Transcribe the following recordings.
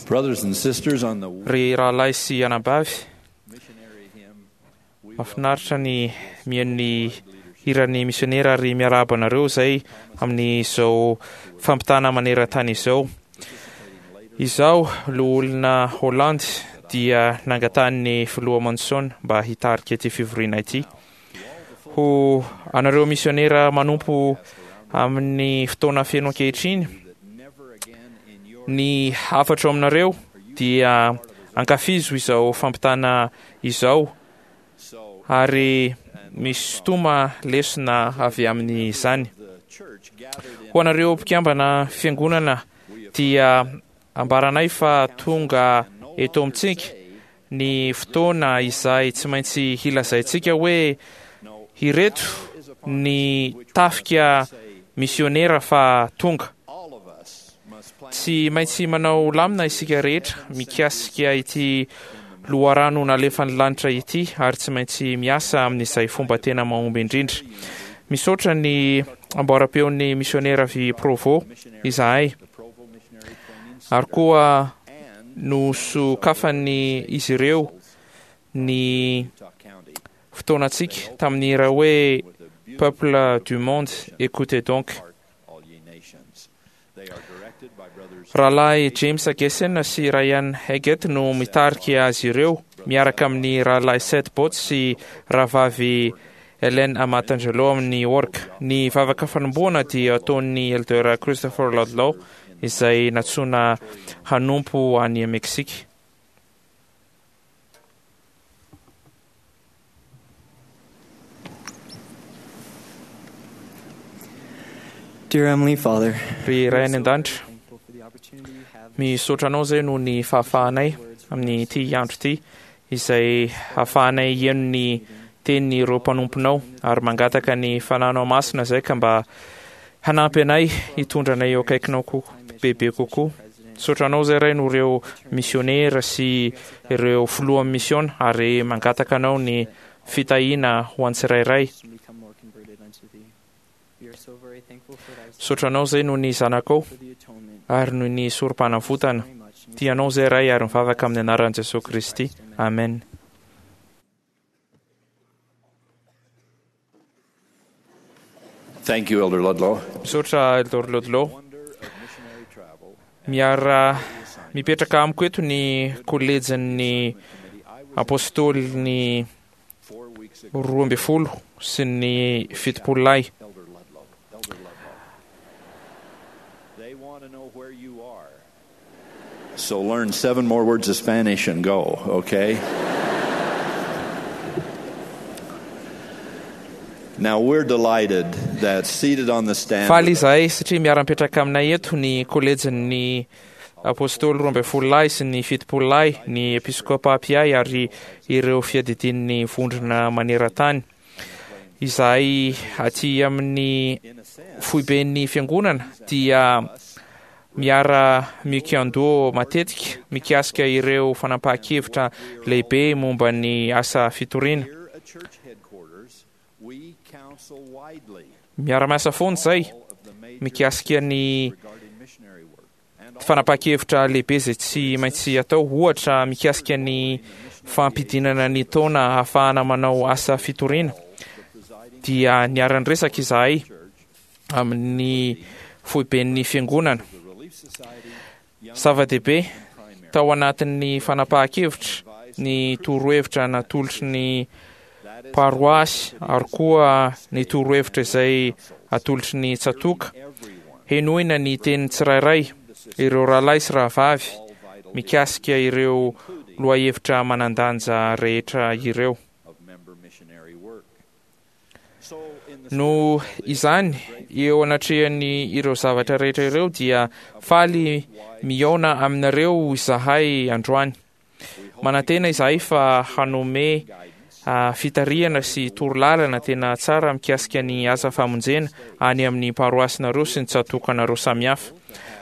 Ry rahalahy sy anabavy, mahafinaritra ny mihaino ny hiran'ny misionera ary miarahaba anareo izay amin'izao fampitana maneran-tany izao. Izaho, loholona Holland, dia nangatahan'ny filoha Monson mba hitarika ity fivoriana ity. Ho anareo misionera manompo amin'ny fotoana feno ankehitriny, ny hafatro aminareo dia ankafizo izao fampitana izao ary misintoma lesona avy amin'izany. Ho anareo mpikambana fiangonana dia ambaranay fa tonga eto amintsika ny fotoana izay tsy maintsy hilazaintsika hoe ireto ny tafika misionera fa tonga. Tsy maintsy manao lamina isika rehetra mikasika ity loharano nalefan'ny lanitra ity ary tsy maintsy miasa amin'izay fomba tena mahomby indrindra. Misaotra ny amboaram-peon'ny misionera avy Provo izahay. Ary koa nosokafan'ny izy ireo ny fotoanantsika tamin'ny hira hoe Peuple du monde, écoutez donc. Rahalahy James Gessen sy Ryan Eggett no mitarika azy ireo, miaraka amin'ny Rahalahy Seth Botts sy Rahavavy Ellen Amatangelo amin'ny orga. Ny vavaka fanombohana dia ataon'ny Elder Christopher Ludlow, izay nantsoina hanompo any Meksika. Dear Heavenly Father, Ry Ray any An-danitra, misaotra Anao izay noho ny fahafahanay amin'ity andro ity izay hahafahanay hihaino ny tenin'ireo mpanomponao ary mangataka ny Fanahinao Masina izay ka mba hanampy anay hitondra anay eo akaikinao koa bebe kokoa. Misaotra Anao izay Ray noho ireo misionera sy ireo filohan'ny misiona ary mangataka Anao ny fitahiana ho an'ny tsirairay. Misaotra Anao izay noho ny Zanakao ary noho ny Sorompanavotana. Tia Anao izay Ray ary mivavaka amin'ny anaran'i Jesoa Kristy. Amen. Thank you, Elder Ludlow. Misaotra Elder Ludlow. Miara mipetraka amiko eto ny kolejin'ny Apôstôlin'ny 12 sy ny 70 lahy. So learn seven more words of Spanish and go, okay? Now we're delighted that seated on the stand. Faly izahay satria miara-mipetraka aminay eto ny kolejin'ny Apôstôly 12 lahy sy ny 70 lahy, ny Episkopa mpiahy ary ireo fiadidian'ny vondrona maneran-tany. Izahay aty amin'ny foiben'ny fiangonana dia miara mikiandoha matetika mikasika ireo fanapahan-kevitra lehibe momba ny asa fitoriana. Miara-miasa foana izay mikasika ny fanapahan-kevitra lehibe izay tsy maintsy atao, ohatra mikasika ny fampidinana ny taona ahafahana manao asa fitoriana, dia niara-niresaka izahay amin'ny foiben'ny fiangonana. Zava-dehibe tao anatin'ny fanapahan-kevitra ny torohevitra natolotry ny paroasy ary koa ny torohevitra izay atolotry ny tsatòka. Henoina ny tenin'ny tsirairay, ireo rahalahy sy rahavavy, mikasika ireo lohahevitra manan-danja rehetra ireo. Noho izany, eo anatrehan'ny ireo zavatra rehetra ireo dia faly mihaona aminareo izahay androany. Manantena izahay fa hanome fitarihana sy torolalana tena tsara mikasika ny asa famonjena any amin'ny paroasinareo sy ny tsatokanareo samihafa.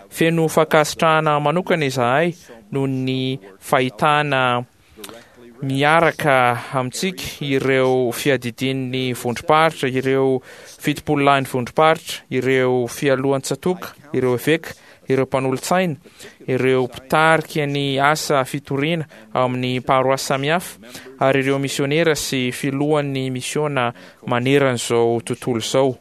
Feno fankasitrahana manokana izahay noho ny fahitana miaraka amintsika ireo fiadidian'ny vondrom-paritra, ireo fitopololahin'ny vondrom-paritra, ireo fialohan-tsatoka, ireo eveka, ireo mpanolotsaina, ireo mpitarika ny asa fitoriana ao amin'ny paroasy samihafa, ary ireo misionera sy filohan'ny misiona maneran'izao tontolo izao.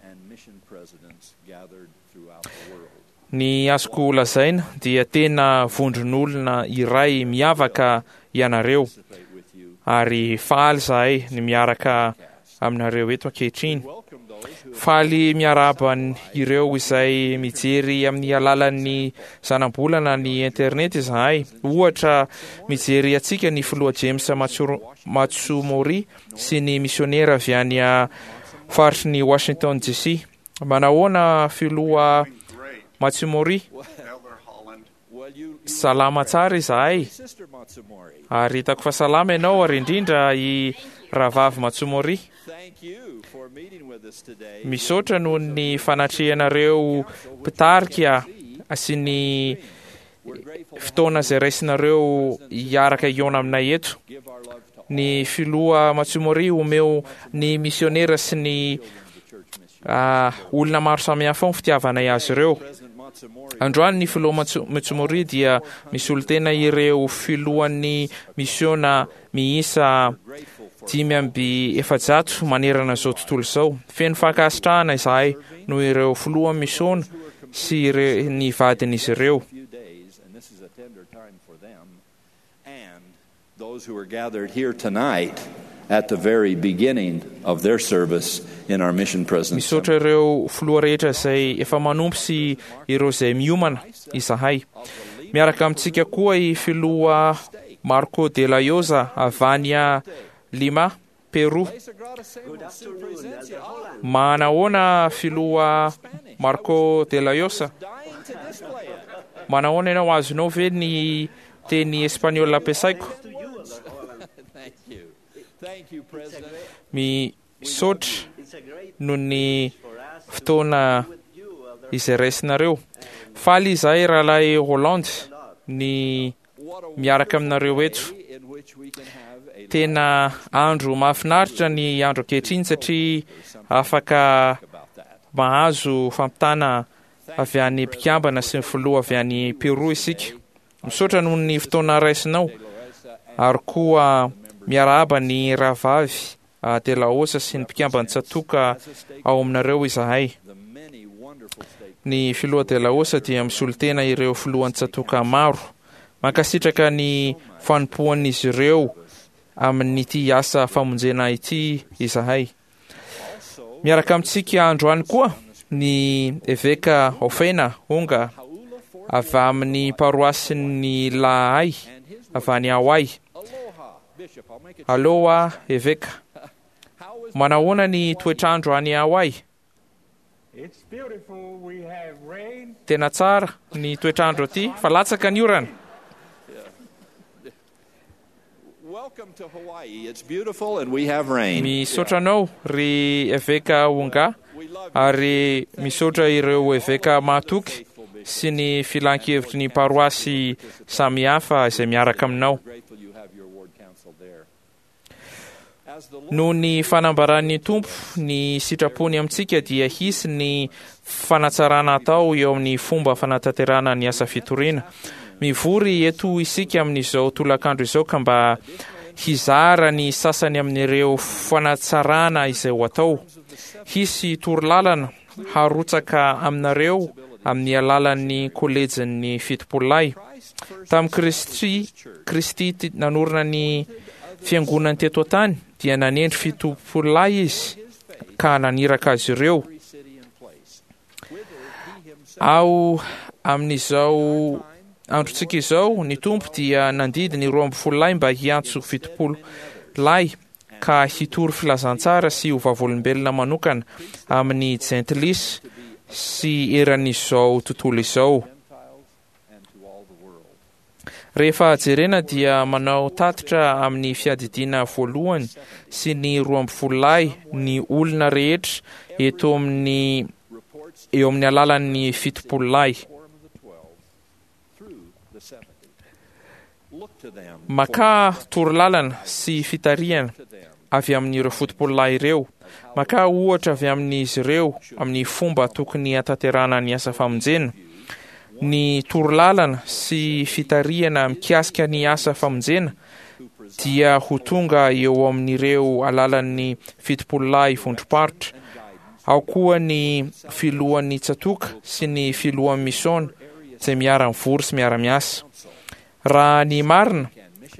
Ny azoko lazaina dia tena vondron'olona iray miavaka ianareo ary faly izahay ny miaraka aminareo eto ankehitriny. Faly miarahaba ireo izay mijery amin'ny alalan'ny zanabolana ny internet izahay. Ohatra, mijery antsika ny filoha James Matsumori sy ny misionera avy any faritry ny Washington DC. Manahoana filoha Matsumori? Salama tsara izahay ary hitako fa salama ianao ary indrindra i Rahavavy Matsumori. Misaotra noho ny fanatrehanareo mpitarika sy ny fotoana izay raisinareo hiaraka hihaona aminay eto. Ny filoha Matsumori omeo ny misionera sy ny olona maro samihafa ao ny fitiavanay azy ireo. Androany ny filoha Matsumori dia misolo tena ireo filohan'ny misiona miisa 445 manerana izao tontolo izao. Feno fankasitrahana izahay noho ireo filoha misiona sy ny vadin'izy ireo. those who are gathered here tonight at the very beginning of their service in our mission president's Misaotra ireo filoha rehetra izay efa manompo sy ireo izay miomana izahay. Miaraka amintsika koa i filoha Marco de la Llosa avy any Lima, Peru. Manahoana filoha Marco de la Llosa? Manahoana ianao? Azonao ve ny teny espaniola ampiasaiko? Misaotra noho ny fotoana izay raisinareo. Faly izahay rahalahy Roland ny miaraka aminareo eto. Tena andro mahafinaritra ny andro ankehitriny satria afaka mahazo fampitana avy any mpikambana sy ny filoha avy any Peru isika. Misaotra noho ny fotoana raisinao ary koa miarahaba ny rahavavy De La Osa sy ny mpikamban'ny tsatòka ao aminareo izahay. Ny filoha De La Osa dia misolo tena ireo filohan'ny tsatòka maro. Mankasitraka ny fanompoan'izy ireo amin'ity asa famonjena ity izahay. Miaraka amintsika androany koa ny eveka Ofena Onga avy amin'ny paroasin'ny Lahay avy any Hawaii. Aloha eveka. Manahoana ny toetr'andro any Hawaii? Tena tsara ny toetr'andro aty fa latsaka ny orana. Misaotra anao ry eveka Onga ary misaotra ireo eveka mahatoky sy ny filan-kevitry ny paroasy samihafa izay miaraka aminao. Noho ny fanambaran'ny Tompo ny sitrapony amintsika dia hisy ny fanatsarana atao eo amin'ny fomba fanatanterahana ny asa fitoriana. Mivory eto isika amin'izao tolakandro izao ka mba hizara ny sasany amin'ireo fanatsarana izay ho atao. Hisy torolalana harotsaka aminareo amin'ny alalan'ny kolejin'ny Fitopololahy. Tamin'i Kristy, Kristy nanorina ny fiangonany teto an-tany dia nanendry fitopololahy izy ka naniraka azy ireo. Ao amin'izao androntsika izao, ny Tompo dia nandidy ny 12 lahy mba hiantso 70 lahy ka hitory filazantsara sy ho vavolombelona manokana amin'ny jentilisa sy eran'izao tontolo izao. Rehefa jerena dia manao tatitra amin'ny fiadidiana voalohany sy ny 12 lahy ny olona rehetra eto amin'ny eo amin'ny alalan'ny 70 lahy. Makà torolalana sy fitarihana avy amin'ireo fotopololahy ireo. Makà ohatra avy amin'izy ireo amin'ny fomba tokony hatanterahana ny asa famonjena. Ny torolalana sy fitarihana mikasika ny asa famonjena dia ho tonga eo amin'ireo alalan'ny fitopololahy vondrom-paritra. Ao koa ny filohan'ny tsatòka sy ny filohan'ny misiôna izay miara-mivory sy miara-miasa. Raha ny marina,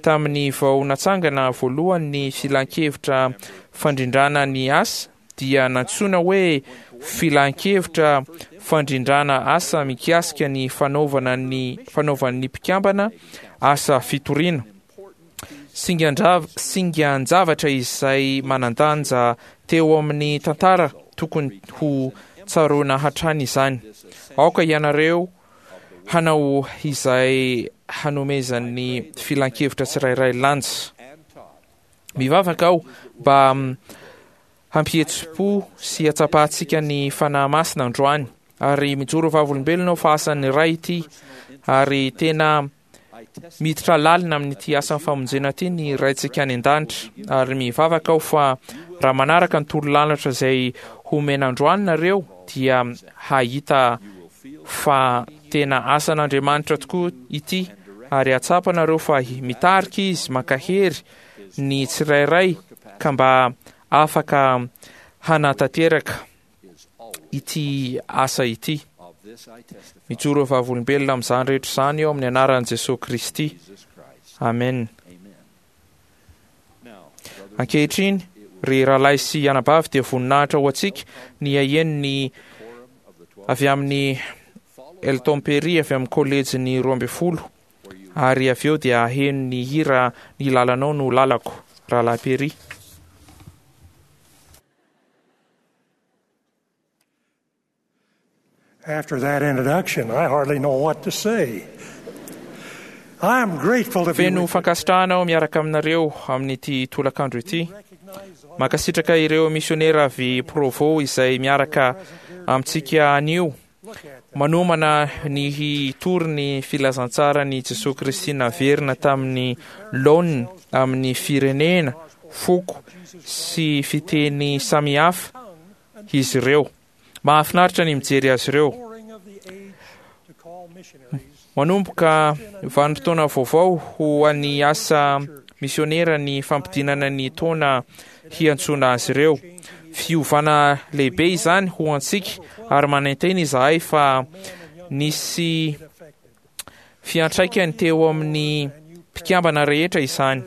tamin'ny vao natsangana voalohany ny Filan-kevitra Fandrindrana ny Asa dia nantsoina hoe Filan-kevitra Fandrindrana Asa mikasika ny fanaovana ny fanaovan'ny mpikambana asa fitoriana. Singan-javatra izay manan-danja teo amin'ny tantara tokony ho tsaroana hatrany izany. Aoka ianareo hanao izay hanomezan'ny filan-kevitra tsirairay lanja. Mivavaka aho mba hampihetsi-po sy hatsapantsika ny Fanahy Masina androany, ary mijoro vavolombelona aho fa asan'ny Ray ity, ary tena miditra lalina amin'ity asan'ny famonjena ity ny Raintsika any an-danitra, ary mivavaka aho fa raha manaraka ny torolalatra izay homena androany nareo dia hahita fa tena asan'Andriamanitra tokoa ity ary hahatsapa nareo fa mitarika Izy mankahery ny tsirairay ka mba afaka hanatanteraka ity asa ity. Mijoro ho vavolombelona amin'izany rehetra izany eo amin'ny anaran'i Jesoa Kristy. Amen. Ankehitriny, ry rahalahy sy anabavy, dia voninahitra ho antsika ny haheno ny avy amin'i Elton Perry avy amin'ny Kolejin'ny 12, ary avy eo dia haheno ny hira Ny Lalanao no Lalako, Rahalahy Perry. After that introduction, I hardly know what to say. I am grateful to be Feno with you. fankasitrahana aho miaraka aminareo amin'ity tolakandro ity. Mankasitraka ireo misionera avy Provo izay miaraka amintsika anio manomana ny hitory ny filazantsaran'i Jesoa Kristy naverina tamin'ny laoniny amin'ny firenena, foko sy fiteny samihafa izy ireo. Mahafinaritra ny mijery azy ireo. Manomboka vanim-potoana vaovao ho an'ny asa misionera ny fampidinana ny taona hiantsoana azy ireo. Fiovana lehibe izany ho antsika ary manantena izahay fa nisy fiantraikany teo amin'ny mpikambana rehetra izany.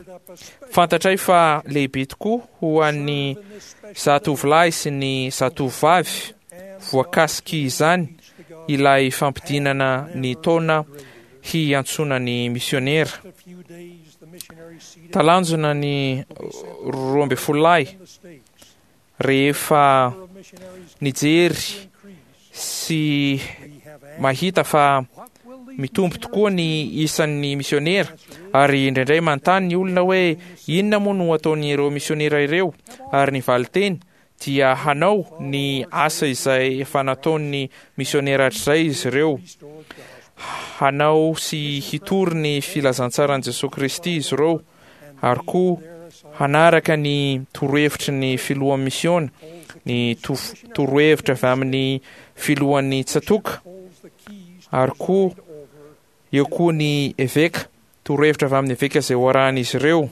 Fantatray fa lehibe tokoa ho an'ny zatovolahy sy ny zatovovavy voakasik'izany ilay fampidinana ny taona hiantsoana ny misionera. Talanjona ny 12 lahy rehefa nijery sy mahita fa mitombo tokoa ny isan'ny misionera, ary indraindray manontany ny olona hoe inona moa no ataon'ireo misionera ireo, ary ny valinteny dia hanao ny asa izay efa nataon'ny misionera hatrizay izy ireo, hanao sy hitory ny filazantsaran'i Jesoa Kristy izy ireo, ary koa hanaraka ny torohevitry ny filohan'ny misiona, ny torohevitra avy amin'ny filohan'ny tsatòka, ary koa eo koa ny eveka, torohevitra avy amin'ny eveka izay ho arahan'izy ireo.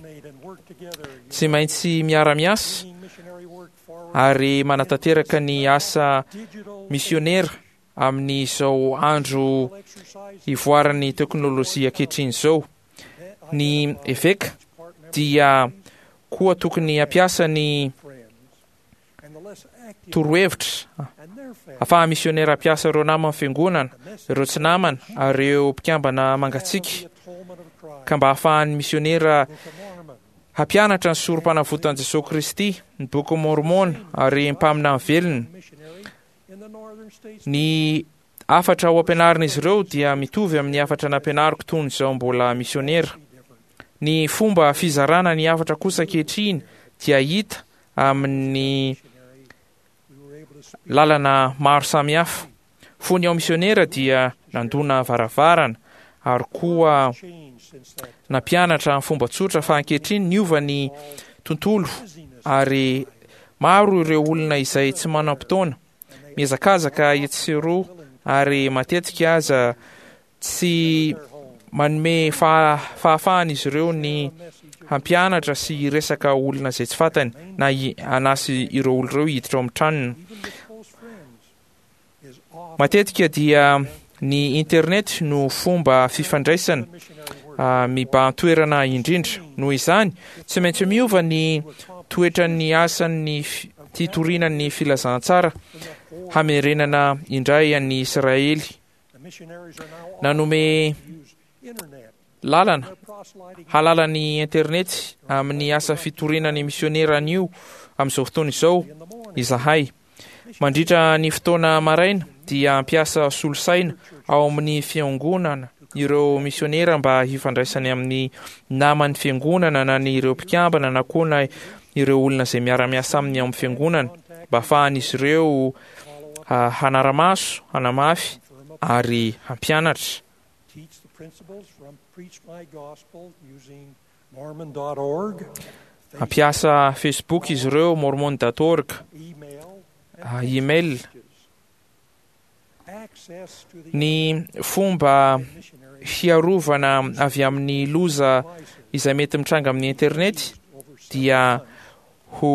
Tsy maintsy miara-miasa ary manatanteraka ny asa misionera amin'izao andro ivoaran'ny teknolojia ankehitriny izao. Ny eveka dia koa tokony hampiasa ny torohevitra afahan'ny misionera hampiasa ireo naman'ny fiangonana, ireo tsy namana ary ireo mpikambana mangatsiaka, ka mba hahafahan'ny misionera hampianatra ny Sorompanavotan'i Jesoa Kristy, ny Bokin'i Môrmôna ary ny mpaminany velona. Ny hafatra ho ampianarin'izy ireo dia mitovy amin'ny hafatra nampianariko tony izao mbola misionera. Ny fomba fizarana ny hafatra kosa ankehitriny dia hita amin'ny lalana maro samihafa. Fony aho misionera dia nandona varavarana ary koa nampianatra amin'ny fomba tsotra fa ankehitriny niova ny tontolo ary maro ireo olona izay tsy manam-potoana, mihazakazaka etsy sy eroa ary matetika aza tsy manome fahafahana izy ireo ny hampianatra sy hiresaka olona izay tsy fantany na hanasa ireo olona ireo hiditra ao amin'ny tranony. Matetika dia ny internet no fomba fifandraisana mibahan-toerana indrindra. Noho izany, tsy maintsy miova ny toetran'ny asan'ny fitoriana ny filazantsara hamerenana indray an'i Israely. Nanome lalana halala ny internet amin'ny asa fitoriana ny misionera anio amin'izao fotoana izao izahay. Mandritra ny fotoana maraina dia hampiasa solosaina ao amin'ny fiangonana ireo misionera mba hifandraisany amin'ny naman'ny fiangonana na ny ireo mpikambana na koa na ireo olona izay miara-miasa aminy ao amin'ny fiangonana mba hahafahan'izy ireo hanara-maso, hanamafy ary hampianatra. Hampiasa Facebook izy ireo, mormon dot org, email. Ny fomba hiarovana avy amin'ny loza izay mety mitranga amin'ny internet dia ho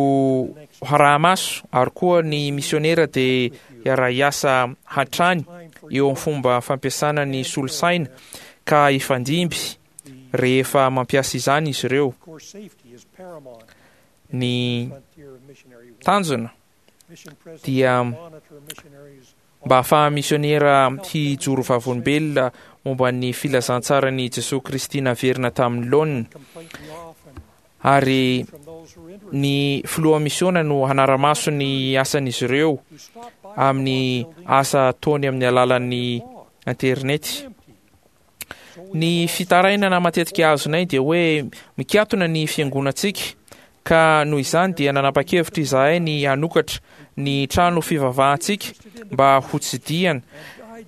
haraha-maso ary koa ny misionera dia hiara-hiasa hatrany eo amin'ny fomba fampiasana ny solosaina ka hifandimby rehefa mampiasa izany izy ireo. Ny tanjona dia mba hahafahan'ny misionera hijoro vavolombelona momba ny filazantsaran'i Jesoa Kristy naverina tamin'ny laoniny, ary ny filoha misiona no hanara-maso ny asan'izy ireo amin'ny asa ataony amin'ny alalan'ny internety. Ny fitarainana matetika azonay dia hoe mikatona ny fiangonantsika, ka noho izany dia nanapa-kevitra izahay ny hanokatra ny trano fivavahantsika mba hotsidihana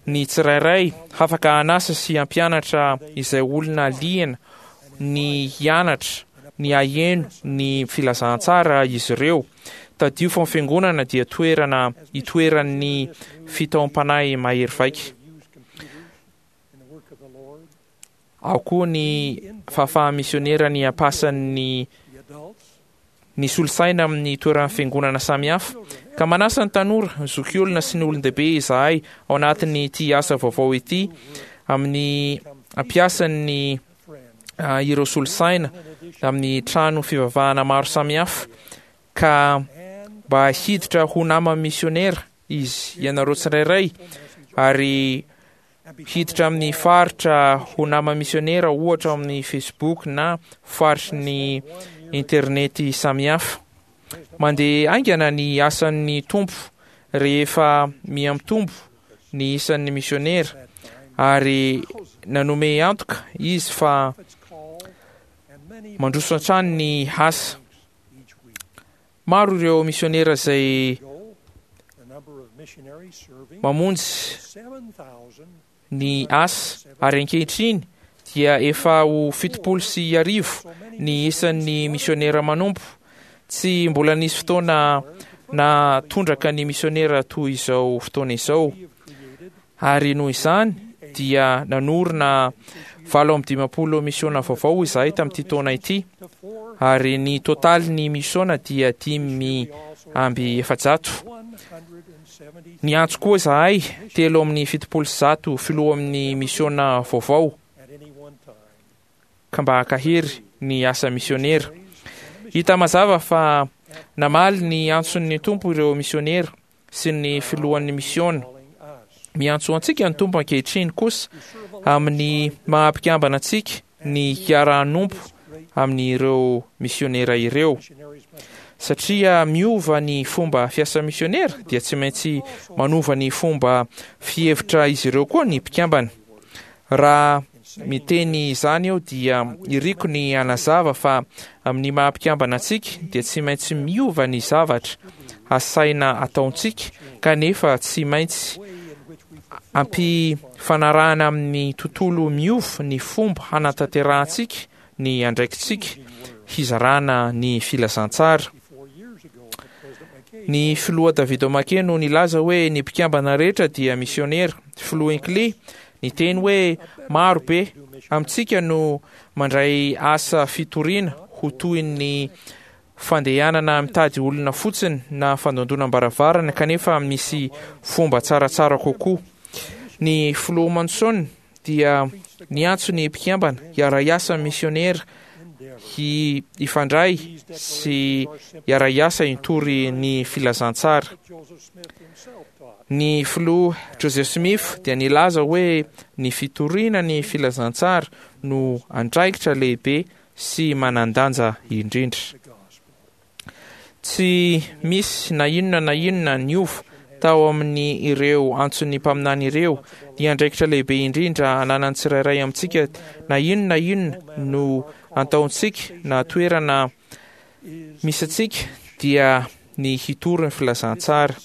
ny tsirairay, hafaka hanasa sy hampianatra izay olona liana ny hianatra ny haheno ny filazantsara izy ireo. Tadidio fa ny fiangonana dia toerana itoeran'ny fitaom-panahy mahery vaika. Ao koa ny fahafahan'ny misionera ny hampasan'ny ny solosaina amin'ny toeran'ny fiangonana samihafa. Ka manasa ny tanora, ny zokiolona sy ny olon-dehibe izahay ao anatin'ity asa vaovao ity amin'ny hampiasan'ny ireo solosaina amin'ny trano fivavahana maro samihafa ka mba hiditra ho naman'ny misionera izy ianareo tsirairay ary hiditra amin'ny faritra ho nama misionera ohatra ao amin'ny Facebook na faritry ny internety samihafa. Mandeha haingana ny asan'ny Tompo rehefa miha-mitombo ny isan'ny misionera ary nanome antoka izy fa mandroso hatrany ny asa. Maro ireo misionera izay mamonjy ny asa ary ankehitriny dia efa ho 1070 ny isan'ny misionera manompo. Tsy mbola nisy fotoana nahatondraka ny misionera toy izao fotoana izao. Ary noho izany dia nanorina 58 misiona vaovao izahay tamin'ity taona ity, ary ny totalin'ny misiona dia 405. Niantso koa izahay 173 filoha amin'ny misiona vaovao ka mba hankahery ny asa misionera. Hita mazava fa namaly ny antson'ny Tompo ireo misionera sy ny filohan'ny misiona. Miantso antsika ny Tompo ankehitriny kosa amin'ny maha mpikambana antsika ny hiara-hanompo amin'ireo misionera ireo. Satria miova ny fomba fiasa misionera dia tsy maintsy manova ny fomba fihevitra izy ireo koa ny mpikambana. Raha miteny izany aho dia iriko ny hanazava fa amin'ny maha mpikambana antsika dia tsy maintsy miova ny zavatra asaina ataontsika kanefa tsy maintsy ampifanarahana amin'ny tontolo miova ny fomba hanatanterahantsika ny andraikitsika hizarana ny filazantsara. Ny filoha David O'Mackey no nilaza hoe ny mpikambana rehetra dia misionera. Filoha Hinckley niteny hoe maro be amintsika no mandray asa fitoriana ho toy ny fandehanana mitady olona fotsiny na fandondonam-baravarana kanefa misy fomba tsaratsara kokoa. Ny filoha Monson dia niantso ny mpikambana hiara-hiasa amin'ny misionera hifandray sy hiara-hiasa hitory ny filazantsara. Ny filoha Joseph Smith dia nilaza hoe ny fitoriana ny filazantsara no andraikitra lehibe sy manan-danja indrindra. Tsy misy na inona na inona niova tao amin'ny ireo antson'ny mpaminany ireo. Ny andraikitra lehibe indrindra ananan'ny tsirairay amintsika na inona na inona no antaontsika na toerana misy antsika dia ny hitory ny filazantsara.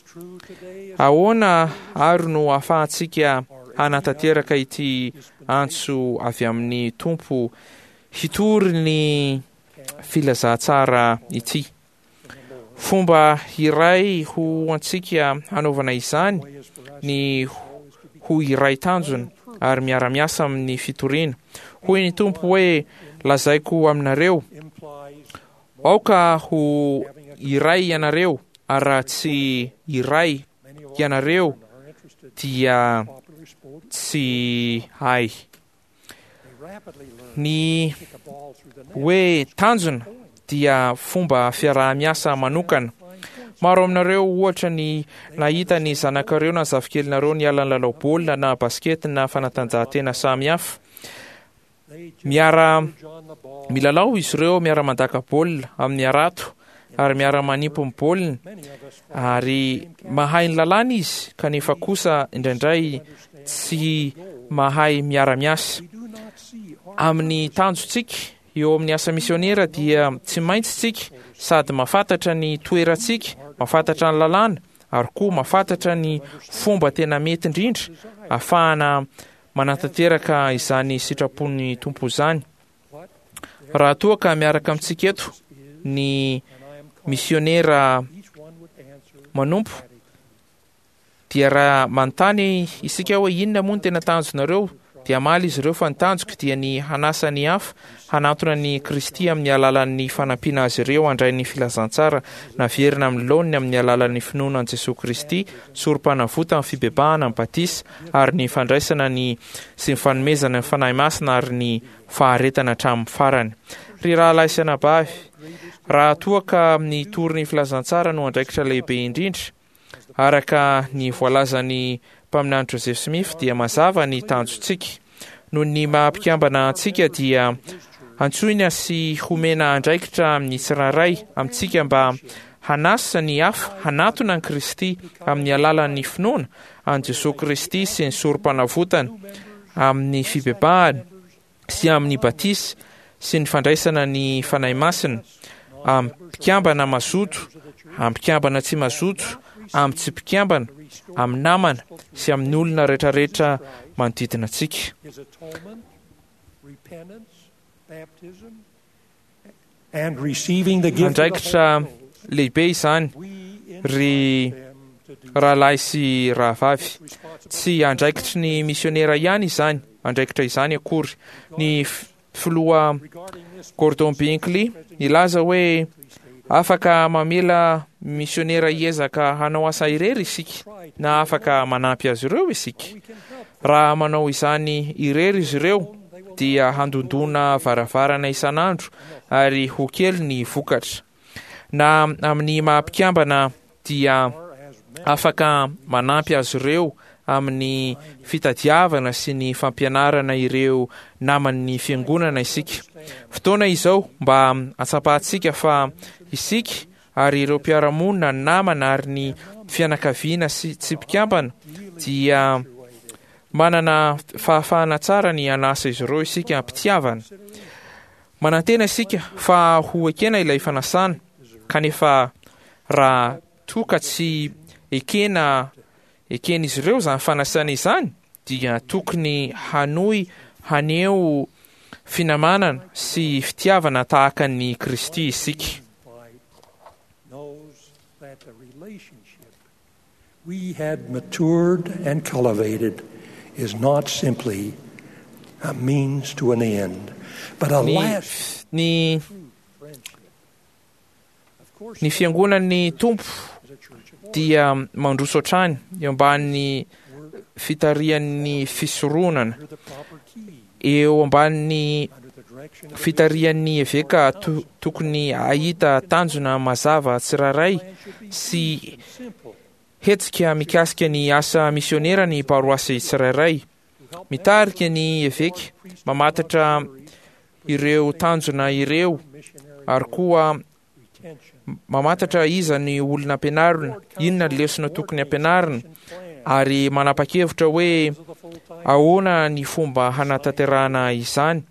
Ahoana ary no ahafahantsika hanatanteraka ity antso avy amin'ny Tompo hitory ny filazantsara ity? Fomba iray ho antsika hanaovana izany ny ho iray tanjona ary miara-miasa amin'ny fitoriana. Hoy ny Tompo hoe, Lazaiko aminareo, aoka ho iray ianareo, ary raha tsy iray ianareo dia tsy hay. Ny hoe tanjona. dia fomba fiaraha-miasa manokana. Maro aminareo ohatra ny nahita ny zanakareo na zafikelinareo niala nilalao baolina na basikety na fanatanjahantena samihafa. Miara milalao izy ireo, miara mandaka baolina amin'ny harato ary miara manimpy ny baolina ary mahay ny lalàna izy kanefa kosa indraindray tsy mahay miara-miasa. Amin'ny tanjontsika eo amin'ny asa misionera dia tsy maintsy tsika sady mahafantatra ny toerantsika, mahafantatra ny lalàna ary koa mahafantatra ny fomba tena mety indrindra ahafahana manatanteraka izany sitrapon'ny Tompo izany. Raha toa ka miaraka amintsika eto ny misionera manompo, dia raha manontany isika hoe inona moa no tena tanjonareo, dia hamaly izy ireo fa ny tanjoko dia ny hanasa ny hafa hanantona an'i Kristy amin'ny alalan'ny fanampiana azy ireo handray ny filazantsara naverina amin'ny laoniny amin'ny alalan'ny finoana an'i Jesoa Kristy, sorompanavotana, fibebahana, ny batisa, ary ny fandraisana ny sy ny fanomezana ny Fanahy Masina ary ny faharetana hatramin'ny farany. Ry rahalahy sy anabavy, raha toa ka ny hitory ny filazantsara no andraikitra lehibe indrindra, Araka ny voalazan'ny Mpaminany Joseph Smith dia mazava ny tanjontsika. Noho ny maha mpikambana antsika dia antsoina sy homena andraikitra amin'ny tsirairay amintsika mba hanasa ny hafa hanatona an'i Kristy amin'ny alalan'ny finoana an'i Jesoa Kristy sy ny Sorompanavotany amin'ny fibebahana sy amin'ny batisa sy ny fandraisana ny Fanahy Masina, amin'ny mpikambana mazoto, amin'ny mpikambana tsy mazoto, amin'ny tsy mpikambana, amin'ny namana sy amin'ny olona rehetrarehetra manodidina antsika. Andraikitra lehibe izany, ry rahalahy sy rahavavy. Tsy andraikitry ny misionera ihany izany andraikitra izany akory. Ny filoha Gordon Binkley nilaza hoe afaka mamela misionera hiezaka hanao asa irery isika na afaka manampy azy ireo isika. Raha manao izany irery izy ireo dia handondona varavarana isan'andro ary ho kely ny vokatra. Na amin'ny maha mpikambana dia afaka manampy azy ireo amin'ny fitadiavana sy ny fampianarana ireo naman'ny fiangonana isika. Fotoana izao mba hatsapantsika fa isika ary ireo mpiara-monina, ny namana ary ny fianakaviana sy tsy mpikambana dia manana fahafahana tsara ny hanasa izy ireo isika am-pitiavana. Manantena isika fa ho ekena ilay fanasana, kanefa raha toa ka tsy ekena eken'izy ireo izany fanasana izany dia tokony hanohy haneho finamanana sy fitiavana tahaka an'i Kristy isika. We had matured and cultivated is not simply a means to an end, but a Ny, lasting ny, friendship. Of course, ny fiangonan'ny Tompo is a church of dia mandroso hatrany eo ambanin'ny fitarihan'ny fisoronana, under the proper key, eo ambanin'ny under the direction of the fitarihan'ny eveka to, tokony hahita tanjona mazava tsirairay sy simple hetsika mikasika ny asa misionera ny paroasy tsirairay. Mitarika ny eveka, mamantatra ireo tanjona ireo ary koa retention. mamantatra iza ny olona ampianarina, inona ny lesona tokony ampianarina ary manapa-kevitra hoe ahoana ny fomba hanatanterahana izany.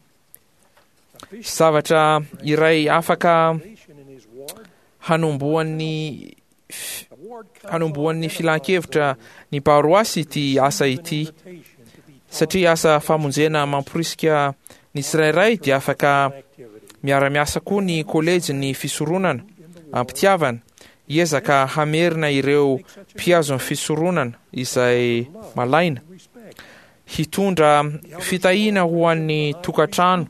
Zavatra iray afaka Nation in his ward, hanombohan'ny the ward council hanombohan'ny filan-kevitra ny paroasy ity asa ity invitation to be satria asa famonjena mamporisika ny tsirairay dia afaka activity. miara-miasa koa ny kolejy ny fisoronana ampitiavana hiezaka hamerina ireo mpihazo ny fisoronana izay malaina Respect. hitondra fitahiana ho an'ny tokantrano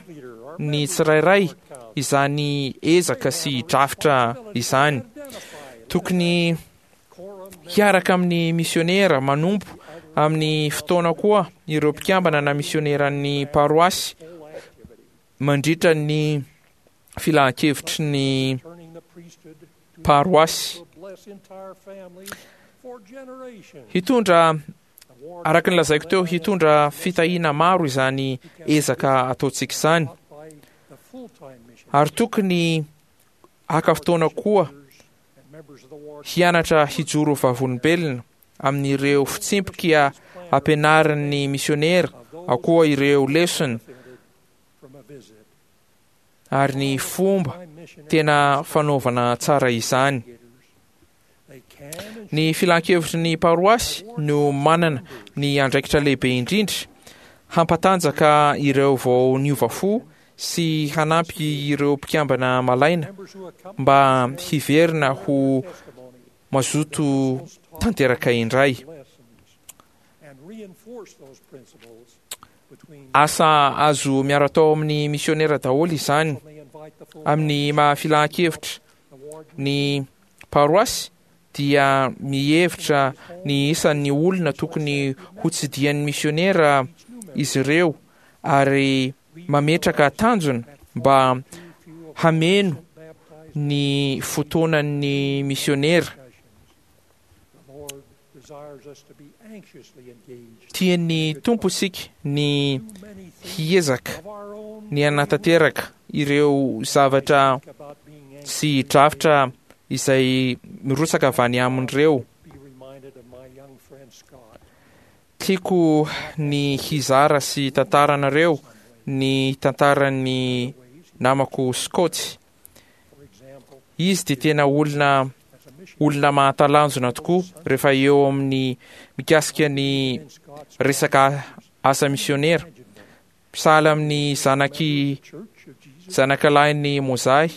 ny tsirairay izany ezaka sy drafitra izany. Tokony hiaraka amin'ny misionera manompo amin'ny fotoana koa ireo mpikambana na misioneran'ny paroasy mandritra ny filan-kevitry ny paroasy. Hitondra, araka ny lazaiko teo, hitondra fitahiana maro izany ezaka ataontsika izany. Ary tokony haka fotoana koa hianatra hijoro vavolombelona amin'ireo fitsipika ampianarin'ny misionera, ao koa ireo lesona ary ny fomba tena fanaovana tsara izany. Ny filan-kevitry ny paroasy no manana ny andraikitra lehibe indrindra hampatanjaka ireo vao niova fo sy hanampy ireo mpikambana malaina mba hiverina ho mazoto tanteraka indray. Asa azo miara-atao amin'ny misionera daholo izany. Amin'ny maha filan-kevitra ny paroasy dia mihevitra ny isan'ny olona tokony hotsidihan'ny misionera izy ireo ary mametraka tanjona mba hameno ny fotoanan'ny misionera. Tian'ny Tompo isika ny hiezaka ny hanatanteraka ireo zavatra sy drafitra izay mirotsaka avy any amin'ireo. Tiako ny hizara sy hitantara anareo ny tantaran'ny namako Scott. Izy dia tena olona olona mahatalanjona tokoa rehefa eo amin'ny mikasika ny resaka asa misionera. Sahala amin'ny zanaky zanakalahin'i Mozahy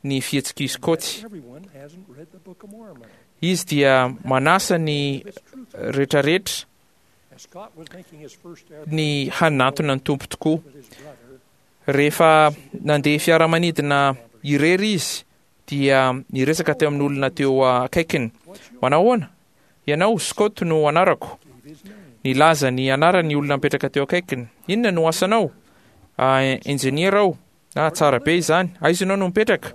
ny fihetsik'i Scott. Izy dia manasa ny retraretra ny hanantona ny Tompo tokoa. Rehefa nandeha fiaramanidina irery izy dia niresaka teo amin'olona teo akaikiny. Manahoana? Ianao, Scott no anarako. Nilaza ny anarany ny olona mipetraka teo akaikiny. Inona no asanao? Ah, injeniera aho. Ah, tsara be izany. Aiza ianao no mipetraka?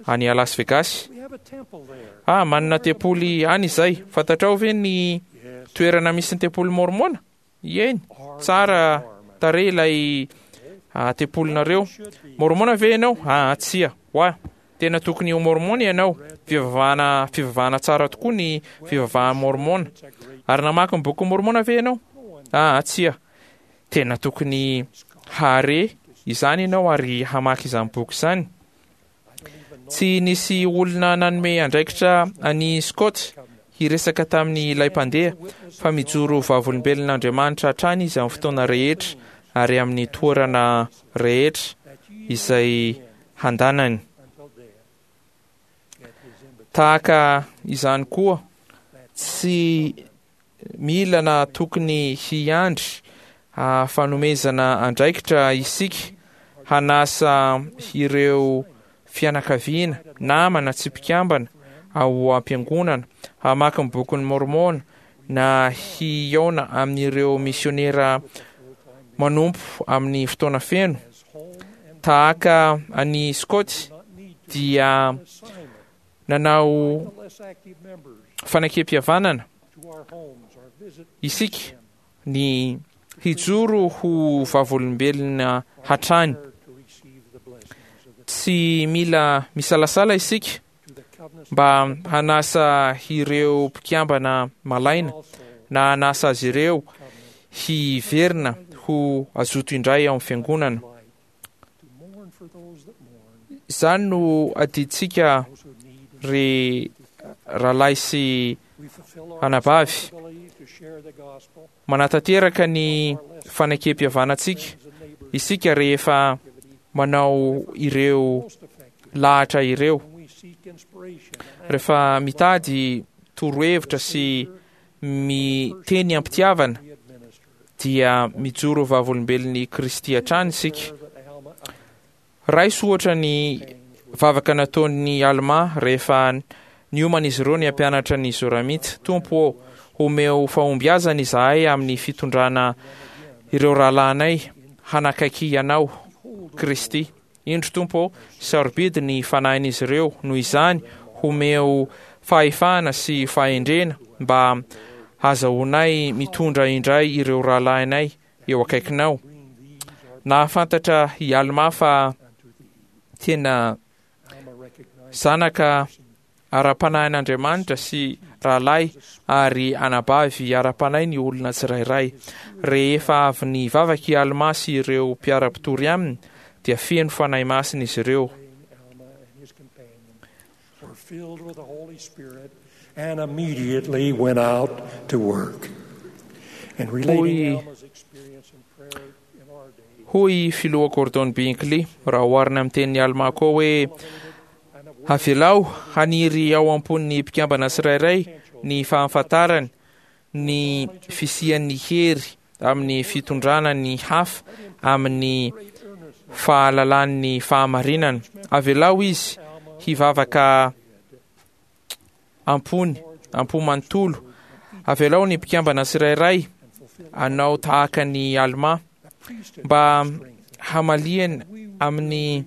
Any Las Vegas. Ah, manana tempoly any izay. Fantatrao ve ny toerana misy ny tempoly Mormona? Eny, tsara tarehy ilay ah, tempolinareo. Mormona ve ianao? Ah, tsia. Oa, tena tokony ho Mormona ianao. Fivavahana, fivavahana tsara tokoa ny fivavahan'ny Mormona. Ary namaky ny bokin'i Mormona ve ianao? Ah, tsia. Tena tokony hahare izany ianao ary hamaky izany boky izany. Tsy nisy olona nanome andraikitra an'i Scott hiresaka tamin'ny ilay mpandeha, fa mijoro vavolombelon'Andriamanitra hatrany izy amin'ny fotoana rehetra ary amin'ny toerana rehetra izay handanany. Tahaka izany koa, tsy Mila na tokony hiandry fanomezana andraikitra isika hanasa ireo fianakaviana, namana tsy mpikambana ao am-piangonana hamaky ny Bokin'i Môrmôna na hihaona amin'ireo misiônera manompo amin'ny fotoana feno. Tahaka an'i Scott dia nanao fanekempihavanana isika ny hijoro ho vavolombelona hatrany. Tsy mila misalasala isika mba hanasa ireo mpikambana malaina na hanasa azy ireo hiverina ho azoto indray ao amin'ny fiangonana. Izany no adidintsika ry rahalahy sy anabavy. Manatanteraka ny fanekempihavanantsika isika rehefa manao ireo lahatra ireo. Rehefa mitady torohevitra sy miteny am-pitiavana dia mijoro vavolombelon'i Kristy hatrany isika. Raiso ohatra ny vavaka nataon'i Almà rehefa niomana izy ireo ny hampianatra ny Zoramita, Tompo ô, omeo fahombiazana izahay amin'ny fitondrana ireo rahalahinay hanakaiky Anao, Kristy. Indro, Tompo ô, sarobidy ny fanahin'izy ireo, noho izany homeo fahefana sy fahendrena mba hazahoanay mitondra indray ireo rahalahinay eo akaikinao. Nahafantatra i Almà fa tena zanaka ara-panahin'Andriamanitra sy rahalahy ary anabavy ara-panahy ny olona tsirairay. Rehefa avy nivavaka i Almà sy ireo mpiara-mpitory aminy, dia feno Fanahy Masina izy ireo. Hoy Hoy i Filoha Gordon B. Hinckley, raha oharina amin'ny tenin'i Almà koa hoe, Avelao haniry ao am-pon'ny mpikambana tsirairay ny fahafantarany ny fisian'ny hery amin'ny fitondrana ny hafa amin'ny fahalalan'ny fahamarinana. Avelao izy hivavaka am-pony, am-po manontolo. Avelao ny mpikambana tsirairay hanao tahaka an'i Almà mba hamaliany amin'ny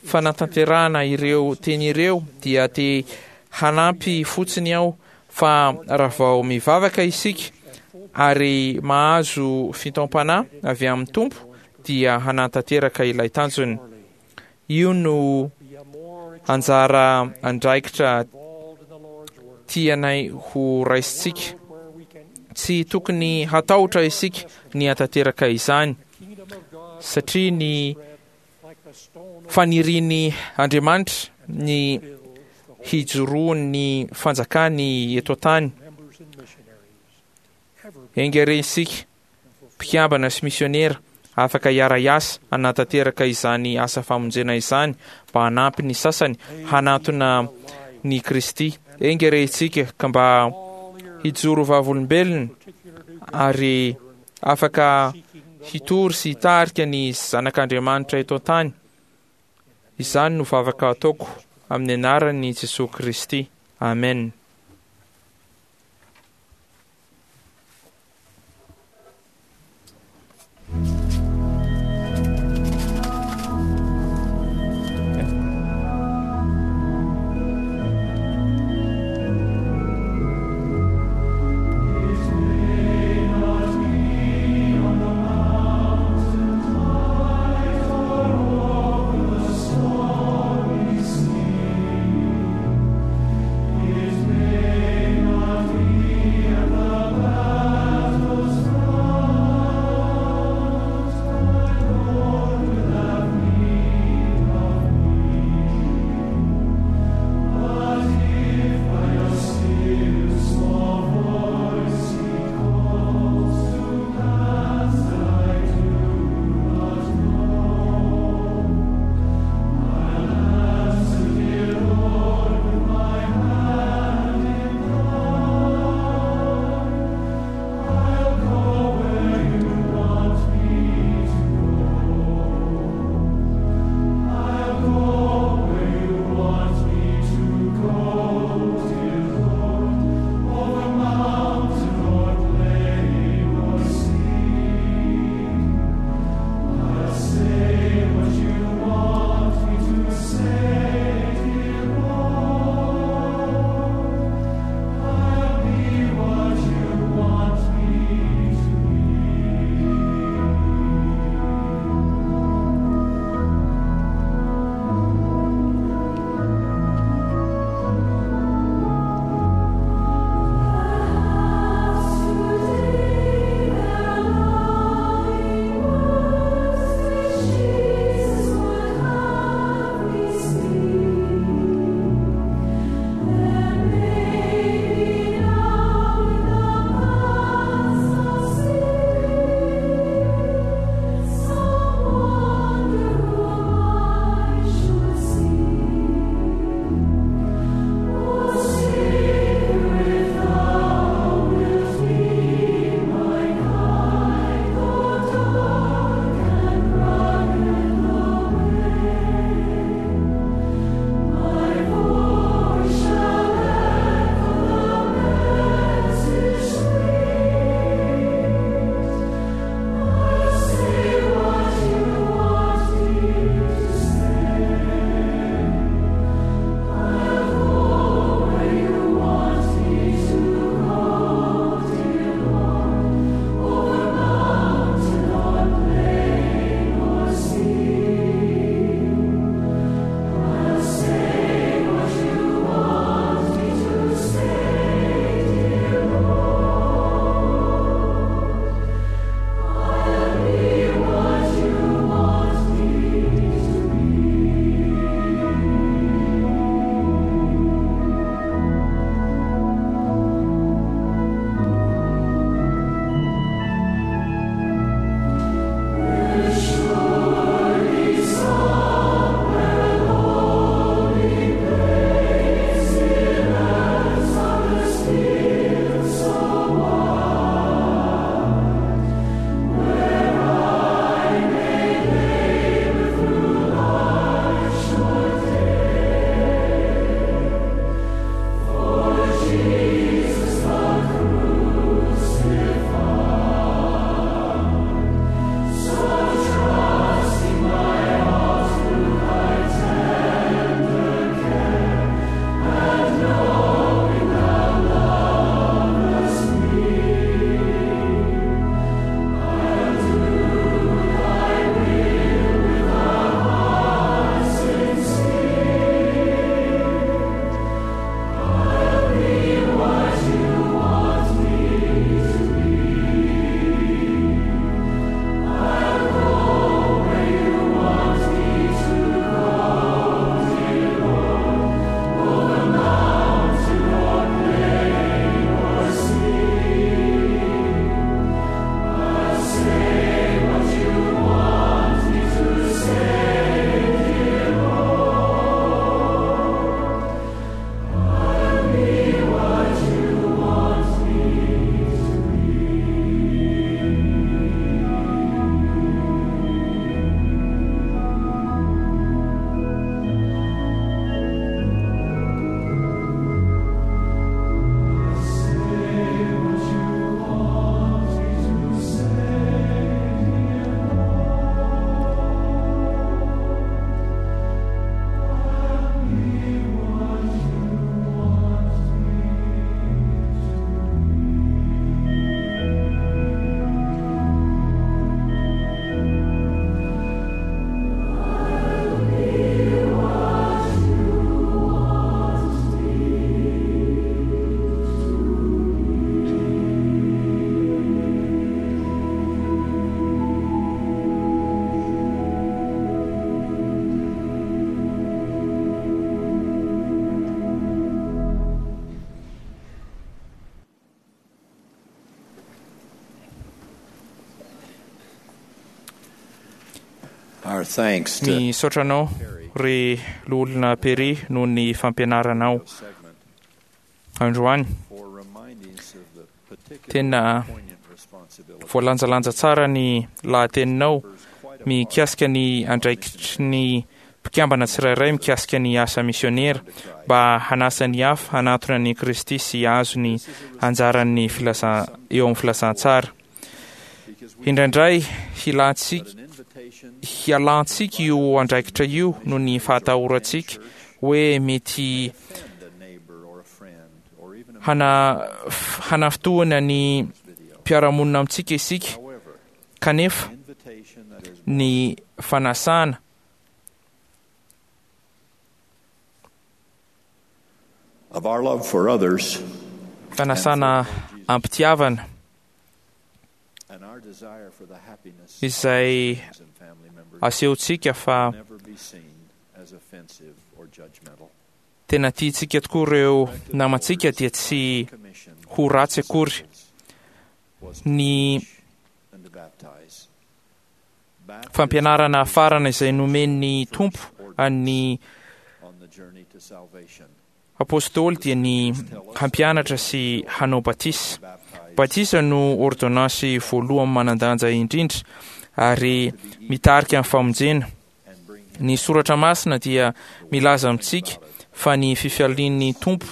fanatanterahana ireo teny ireo dia te hanampy fotsiny aho fa raha vao mivavaka isika ary mahazo fitaom-panahy avy amin'ny Tompo dia hanatanteraka ilay tanjony. Io no anjara andraikitra tianay ho raisintsika. Tsy tokony hatahotra isika ny hatanteraka izany satria ny Fanirian'i Andriamanitra ny hijoroan'ny fanjakany eto an-tany. Enga re isika, mpikambana sy misionera, afaka hiara-hiasa hanatanteraka izany asa famonjena izany mba hanampy ny sasany hanantona ny Kristy. Enga re isika ka mba hijoro vavolombelona ary afaka hitory sy hitarika ny zanak'Andriamanitra eto an-tany. Izany no vavaka ataoko amin'ny anaran'i Jesoa Kristy. Amen. Our thanks to Misaotra anao ry loholona Perry noho ny fampianaranao segment androany. for reminding us of the particular Tena poignant responsibility voalanjalanja tsara ny lahateninao mikasika ny andraikitry ny mpikambana tsirairay mikasika ny asa misionera mba hanasa ny hafa hanatona ny Kristy sy hahazo ny anjaran'ny filaza eo amin'ny filazantsara. Indraindray hilantsika an invitation hialantsika io andraikitra io noho ny fahatahorantsika hoe mety and a neighbor or a friend or even a hana hanafintohina ny mpiara-monina amintsika isika however kanefa an invitation that is ny fanasana of our love for others fanasana ampitiavana and our desire for the happiness izay of friends and family members asehontsika fa never be seen as offensive or judgmental. tena tiantsika tokoa ireo namantsika dia tsy Commission ho ratsy akory was to ny teach and to baptize. Baptism fampianarana farana izay nomen'ny Tompo an'ny on the journey to salvation. apôstôly dia ny hampianatra sy hanao batisa. Baptize Batisa no ordonnance voalohany manan-danja indrindra ary mitarika ny famonjena. and bring him Ny soratra masina dia milaza amintsika fa ny fifalian'ny Tompo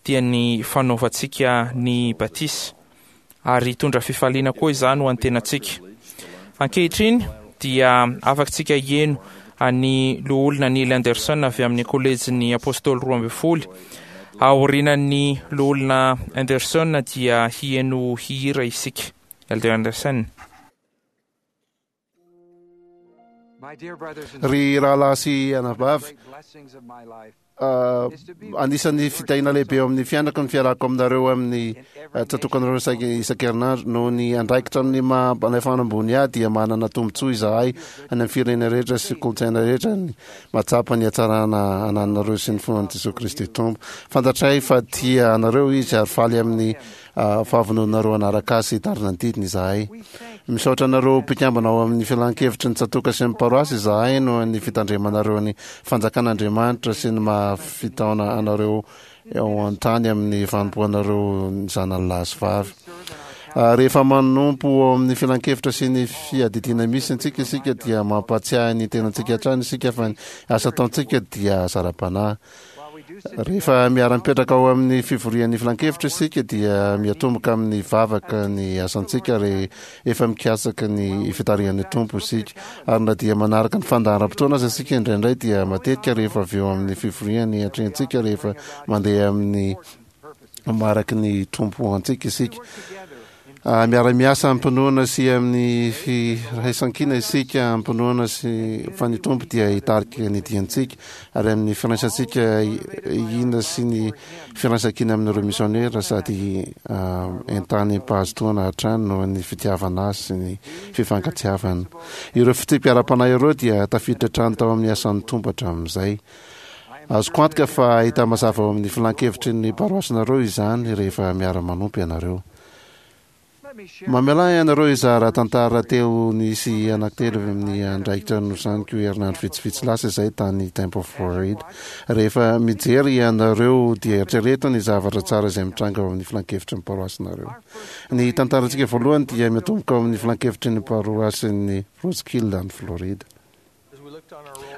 dia ny fanaovantsika ny batisa ary hitondra fifaliana koa izany ho an'ny tenantsika. Ankehitriny dia afakantsika hieno an'ny loholona Neil Anderson avy amin'ny kolejin'ny apôstôly 12. Aorianan'ny loholona Anderson dia hieno hihira isika. Elder Anderson. Ry rahalahy sy anabavy, anisan'ny fitahiana lehibe eo amin'ny fiainako ny fiarahako aminareo amin'ny tsatokanareo isan-kerinandro. Noho ny andraikitra amin'ny maha mpanefana ambony ahy dia manana tombontsoa izahay any amin'ny firenena rehetra sy kolontsaina rehetra ny mahatsapa ny hatsarana anananareo sy ny finoan'i Jesoa Kristy Tompo. Fantatray fa tia anareo Izy ary faly amin'ny fahavononareo hanaraka Azy sy hitarina ny didiny izahay. Misaotra anareo mpikambana ao amin'ny filan-kevitry ny tsatoka sy ny paroasy izahay noho ny fitandremanareo ny fanjakan'Andriamanitra sy ny maha fitaona anareo eo an-tany amin'ny fanompoanareo ny zanany lahy sy vavy. Rehefa manompo ao amin'ny filan-kevitra sy ny fiadidiana misy antsika isika dia mampahatsiahy ny tenantsika hatrany isika fa ny asa ataontsika dia zara-panahy. Rehefa miara-mipetraka ao amin'ny fivorian'ny filan-kevitra isika dia miatomboka amin'ny vavaka ny asantsika rehefa mikatsaka ny fitarihan'ny Tompo isika. Ary na dia manaraka ny fandaharam-potoana aza isika indraindray dia matetika rehefa avy eo amin'ny fivoriany atrehintsika rehefa mandeha amin'ny mariky ny Tompo antsika isika. Miara-miasa amim-pinoana sy amin'ny firaisankina isika, amim-pinoana sy fa ny Tompo dia hitarika ny diantsika, ary amin'ny firaisantsika hina sy ny firaisankina amin'ireo misionera sady entanim-pahazotoana hatrany noho ny fitiavana azy sy ny fifankatiavana. Ireo fitsipika ara-panahy ireo dia tafiditra hatrany tao amin'ny asan'ny Tompo hatramin'izay. Azoko antoka fa hita mazava ao amin'ny filan-kevitry ny paroasinareo izany rehefa miara-manompo ianareo. Mamelà ianareo hizara tantara telo nisy anankitelo avy amin'ny andraikitra nosaniko herinandro vitsivitsy lasa izay tany Tampa Florida. Rehefa mijery ianareo dia eritrereto ny zavatra tsara izay mitranga ao amin'ny filan-kevitry ny paroasinareo. Ny tantarantsika voalohany dia miatomboka ao amin'ny filan-kevitry ny paroasin'ny Roseville any Florida.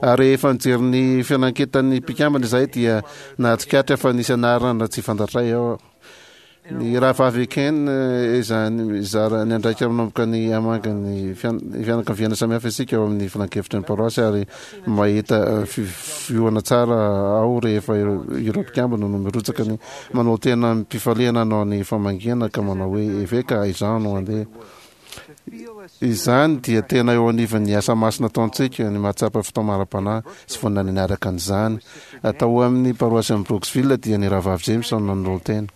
Rehefa nijery ny fiananketan'ny mpikambana izahay dia nahatsikaritra fa nisy anarana tsy fantatray ao. Ny rahavavy Ken izany mizara ny andraikitra manomboka ny hamangy ny fianakaviana samihafa isika ao amin'ny filankevitry ny paroasy ary mahita fiohana tsara ao rehefa ireo mpikambana no mirotsaka ny manao tena amim-pifaliana hanao ny famangiana ka manao hoe eveka izaho no handeha. Izany dia tena eo anivon'ny asa masina ataontsika ny mahatsapa fitaomana ara-panahy sy vonona ny hanaraka an'izany. Tao amin'ny paroasin'i Brooksville dia ny Rahavavy James no nanolo-tena.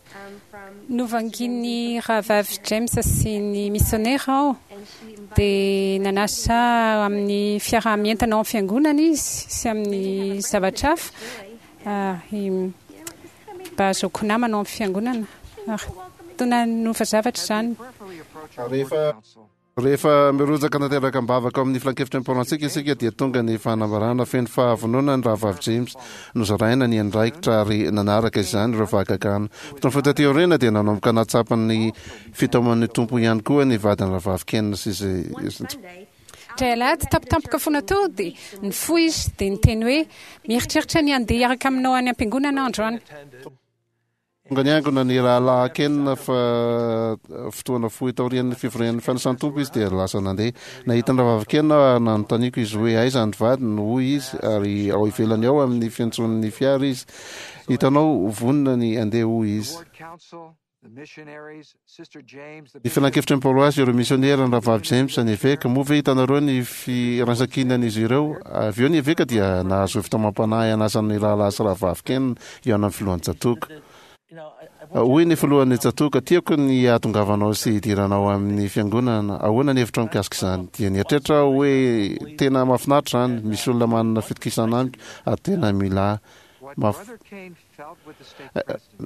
Novangian'ny Rahavavy James sy ny misionera aho, dia nanasa ahy amin'ny fiaraha-mientana ao amin'ny fiangonana izy sy amin'ny zavatra hafa, ary mba hahazoako namana ao amin'ny fiangonana. Ary toa nanova zavatra izany. Rehefa. Rehefa mirotsaka tanteraka am-bavaka ao amin'ny filankevitry ny paroantsika isika dia tonga ny fanambarana feno fahavonona ny Rahavavy James. Nozaraina ny andraikitra ary nanaraka izany ireo fahagagana. Fotoana fohy taty aoriana dia nanomboka nahatsapa ny fitaoman'ny Tompo ihany koa ny vadin'ny Rahavavy Ken sy izay Indray alahady tampotampoka foana teo dia nifoha izy dia niteny hoe, Mieritreritra ny handeha hiaraka aminao any am-piangonana aho androany. Tonga niangona ny Rahalahy Ken fa fotoana fohy taorian'ny fivorian'ny fanasan'ny Tompo izy dia lasa nandeha. Nahita ny Rahavavy Ken aho ary nanontaniako izy hoe aiza ny vadiny, hoy izy, ary ao ivelany ao amin'ny fiantson'ny fiara izy. Hitanao, vonona ny handeha, hoy izy. Ny filankevitry ny paroasy, ireo misionera, ny Rahavavy James, ny eveka. Moa ve hitanareo ny firaisankinan'izy ireo? Avy eo ny eveka dia nahazo fitaomam-panahy hanasa ny Rahalahy sy Rahavavy Ken hihaona amin'ny filohan'ny tsatòka. Hoy ny filohan'ny tsatòka, Tiako ny hahatongavanao sy hidiranao amin'ny fiangonana. Ahoana ny hevitrao mikasika izany? Dia nieritreritra aho hoe, Tena mahafinaritra izany. Misy olona manana fitokisana amiko ary tena mila ahy.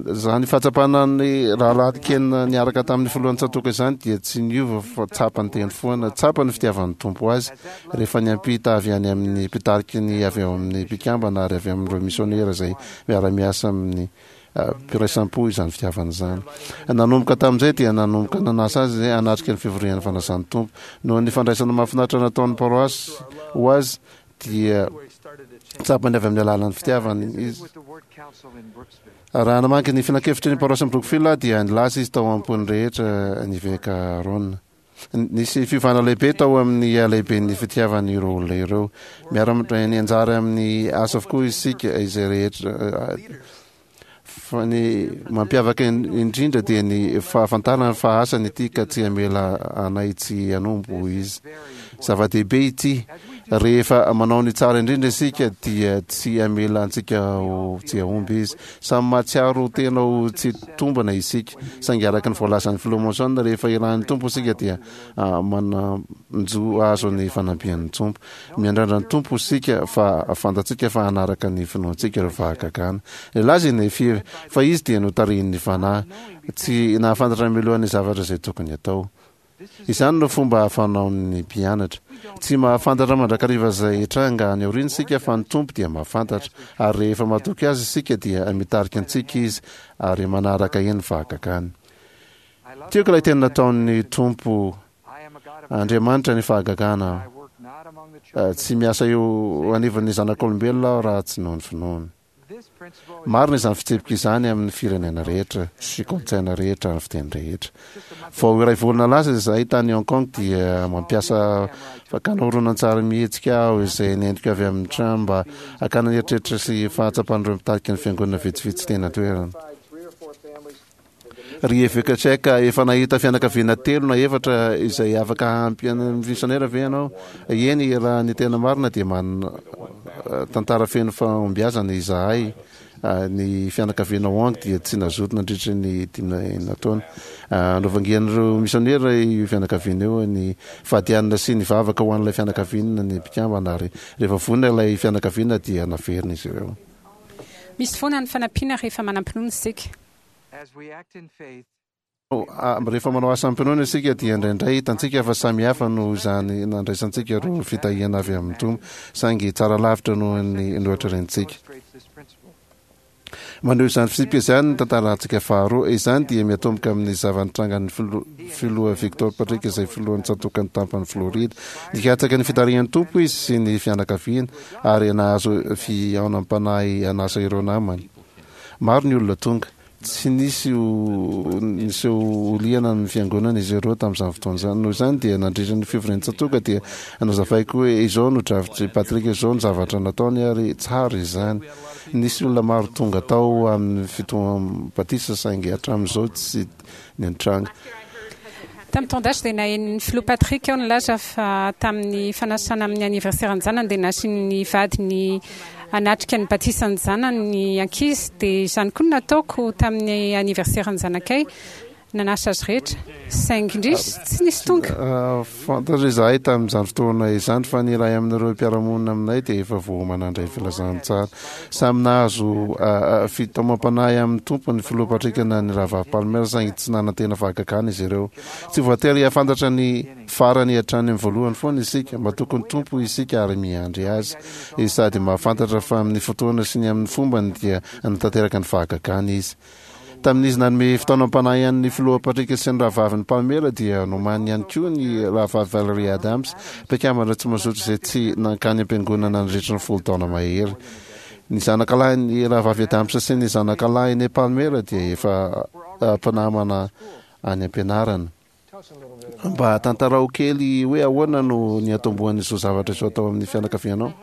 Izany fahatsapana ny Rahalahy Ken niaraka tamin'ny filohan'ny tsatòka izany dia tsy niova fa tsapany teny foana. Tsapa ny fitiavan'ny Tompo azy rehefa niampita avy any amin'ny mpitariky ny avy ao amin'ny mpikambana ary avy amin'ireo misionera izay miara-miasa amin'ny mpiraisam-po izany fitiavana izany. Nanomboka tamin'izay dia nanomboka nanasa azy izay hanatrika ny fivorian'ny fanasan'ny Tompo. Noho ny fandraisana mahafinaritra nataon'ny paroasy ho azy dia tsapany avy amin'ny alalan'ny fitiavany izy. Raha namaky ny filankevitry ny paroasin'i Brookfield aho dia nilaza izy tao am-pon'ny rehetra ny eveka Aaron. Nisy fiovana lehibe tao amin'ny halehiben'ny fitiavan'ireo olona ireo. Miara-mandray ny anjara amin'ny asa avokoa isika izay rehetra fa ny mampiavaka indrindra dia ny fahafantarana fa asany ity ka tsy hamela anay tsy hanompo hoy izy. Zava-dehibe ity. Rehefa manao ny tsara indrindra isika dia tsy hamela antsika ho tsy hahomby izy. Samy mahatsiaro tena ho tsy tombana isika, saingy araka ny voalazan'ny Filoha Monson, rehefa irahin'ny Tompo isika dia manan-jo hahazo ny fanampian'ny Tompo. Miandrandra ny Tompo isika fa fantatsika fa hanaraka ny finoantsika ireo fahagagana. Nilaza i Nefia fa izy dia notarihin'ny Fanahy, tsy nahafantatra mialoha ny zavatra izay tokony hatao. Izany no fomba fanaon'ny mpianatra. Tsy mahafantatra mandrakariva izay hitranga any aoriana isika fa ny Tompo dia mahafantatra, ary rehefa matoky Azy isika dia mitarika antsika Izy ary manaraka eny fahagagany. Tiako ilay teny nataon'ny Tompo, Andriamanitra ny fahagagana aho. Tsy miasa eo anivon'ny zanak'olombelona aho raha tsy noho ny finoany. Marina izany fitsipika izany amin'ny firenena rehetra sy kolontsaina rehetra ary fiteny rehetra. Vao iray volana lasa izahay tany Hong Kong dia mampiasa fakana horonantsary mihetsika aho izay nentiko avy amin'ny trano mba hakana ny eritreritra sy fahatsapan'ireo mpitarika ny fiangonana vitsivitsy teny an-toerana. Ry Eveka Tchèque, efa nahita fianakaviana telo na efatra izay afaka hampy an'ny misionera ve ianao? Eny, raha ny tena marina dia manana tantara feno fahombiazana izahay. Ny fianakaviana Wang dia tsy nazoto nandritra ny 65 taona. Novangian'ireo misionera io fianakaviana io ny fahadianana sy nivavaka ho an'ilay fianakaviana ny mpikambana ary rehefa vonona ilay fianakaviana dia naverina izy ireo. Misy foana ny fanampiana rehefa manam-pinoana isika. Rehefa manao asa amim-pinoana isika dia indraindray hitantsika fa samy hafa noho izany nandraisantsika ireo fitahiana avy amin'ny Tompo, saingy tsara lavitra noho ny noeritreretintsika. Maneho izany fitsipika izany ny tantarantsika faharoa. Izany dia miatomboka amin'ny zava-nitrangan'ny Filoha Victor Patrick izay filohan'ny tsatòkan'ny tampan'i Florida. Nikatsaka ny fitarihan'ny Tompo izy sy ny fianakaviany ary nahazo fihaonam-panahy hanasa ireo namany. Maro ny olona tonga. Tsy nisy ho niseho ho liana amin'ny fiangonana izy ireo tamin'izany fotoana izany. Noho izany dia nandritra ny fivorian-tsatòka dia nazavaiko hoe izao no drafitr'i Patrick, izao no zavatra nataony ary tsara izany. Nisy olona maro tonga tao amin'ny fitoham-batisa saingy hatramin'izao tsy nitranga. Tamin'ny taon-dasa dia naheno ny filoha Patrick aho nilaza fa tamin'ny fanasana amin'ny anniversaire-ny zanany dia nasian'ny vadiny hanatrika ny batisan'ny zanany ny ankizy dia izany koa no nataoko tamin'ny anniversaire-ny zanakay. Nanasa azy rehetra, saingy indrisy, tsy nisy tonga. Fantatra izahay tamin'izany fotoana izany fa ny iray amin'ireo mpiara-monina aminay dia efa voaomana handray filazantsara. Samy nahazo fitaomam-panahy amin'ny Tompo ny Filoha Patrick na ny Rahavavy Palmer, saingy tsy nanantena fahagagana izy ireo. Tsy voatery hahafantatra ny farany hatrany amin'ny voalohany foana isika. Matoky ny Tompo isika ary miandry Azy. Izy sady mahafantatra fa amin'ny fotoana sy ny amin'ny fombany dia hanatanteraka ny fahagagana Izy. Tamin'izy nanome fitaonam-panahy an'ny Filoha Patrick sy ny rahavaviny Pamela dia nomaniny ihany koa ny rahavavy Valerie Adams, mpikambana tsy mazoto izay tsy nankany am-piangonana nandritra ny 10 taona mahery. Ny zanakalahin'ny rahavavy Adams sy ny zanakalahin'i Palmer dia efa mpinamana any am-pianarana. Mba tantarao kely hoe ahoana no niantombohan'izao zavatra izao tao amin'ny fianakavianao?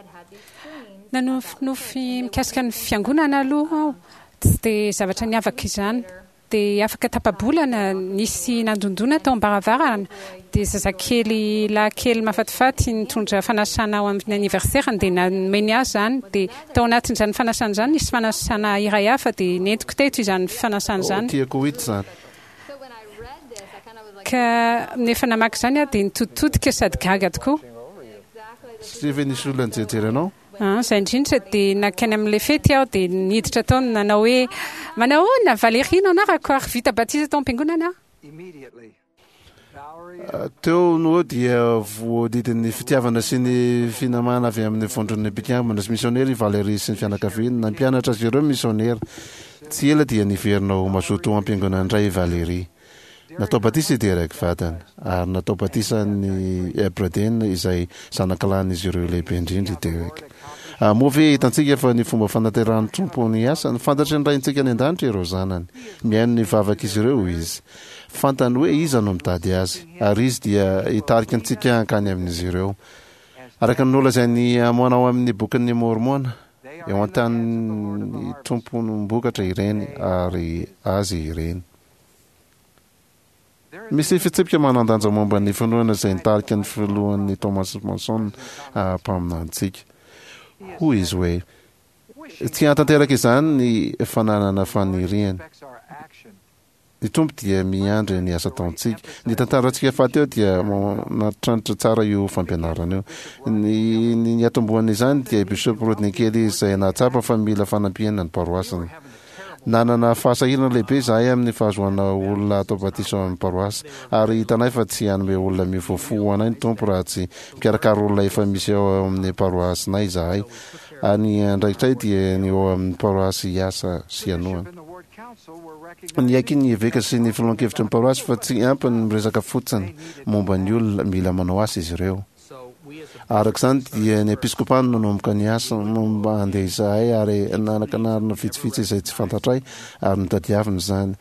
Nanofinofy mikasika ny fiangonana aloha aho. Tsy dia zavatra niavaka izany. Dia afaka tapa-bolana, nisy nandondona tao am-baravarana. Dia zazakely lahy kely mahafatifaty nitondra fanasana ho amin'ny anniversaire-ny dia nomeny ahy izany. Dia tao anatin'izany fanasana izany nisy fanasana iray hafa dia nentiko teto izany fanasana izany. Oh, tiako ho hita izany. Ka nefa namaky izany aho dia nitoditodika sady gaga tokoa. Satria ve nisy olona nijerijery anao? An, izay indrindra, dia nankany amin'ilay fety aho dia niditra tao nanao hoe, Manahoana, Valérie no anarako ary vita batisa tao am-piangonana aho. Teo no eo dia voadidin'ny fitiavana sy ny finamana avy amin'ny vondron'ny mpikambana sy misionera i Valérie sy ny fianakaviany. Nampianatra azy ireo ny misionera. Tsy ela dia niverina ho mazoto ao am-piangonana indray i Valérie. Natao batisa i Derek vadiny, ary natao batisa an'i Braden izay zanakalahin'izy ireo lehibe indrindra i Derek. Moa ve hitantsika fa ny fomba fanaterahan'ny Tompo ny asany? Fantatry ny Raintsika any An-danitra ireo zanany. Mihaino ny vavak'izy ireo Izy. Fantany hoe iza no mitady Azy, ary Izy dia hitarika antsika hankany amin'izy ireo. Araka ny nolazain'i Amôna ao amin'ny Bokin'i Môrmôna, eo an-tanin'ny Tomponom-bokatra ireny, ary Azy ireny. Misy fitsipika manan-danja momba ny finoana izay nitarika ny filohan'ny Thomas Monson mpaminanintsika. Hoy izy hoe, Tsy hahatanteraka izany ny fananana faniriana. Ny Tompo dia miandry ny asa ataontsika. Ny tantarantsika fahateo dia manatranitra tsara io fampianarana io. Ny ny niatombohan'izany dia i Bishop Rodney Kelly izay nahatsapa fa mila fanampiana ny paroasiny. Nanana fahasahirana lehibe izahay amin'ny fahazoana olona hatao batisa ao amin'ny paroasy, ary hitanay fa tsy hanome olona miova fo ho anay ny Tompo raha tsy mikarakara olona efa misy ao amin'ny paroasinay izahay, ary ny andraikitray dia ny ao amin'ny paroasy hiasa sy hanohana. Niaiky ny eveka sy ny filohan-kevitry ny paroasy fa tsy ampy ny miresaka fotsiny momba ny olona, mila manao asa izy ireo. Araka izany dia ny episkopa no nanomboka ny asa momba handeha izahay ary nanakanarina vitsivitsy izay tsy fantatray ary notadiavina izany.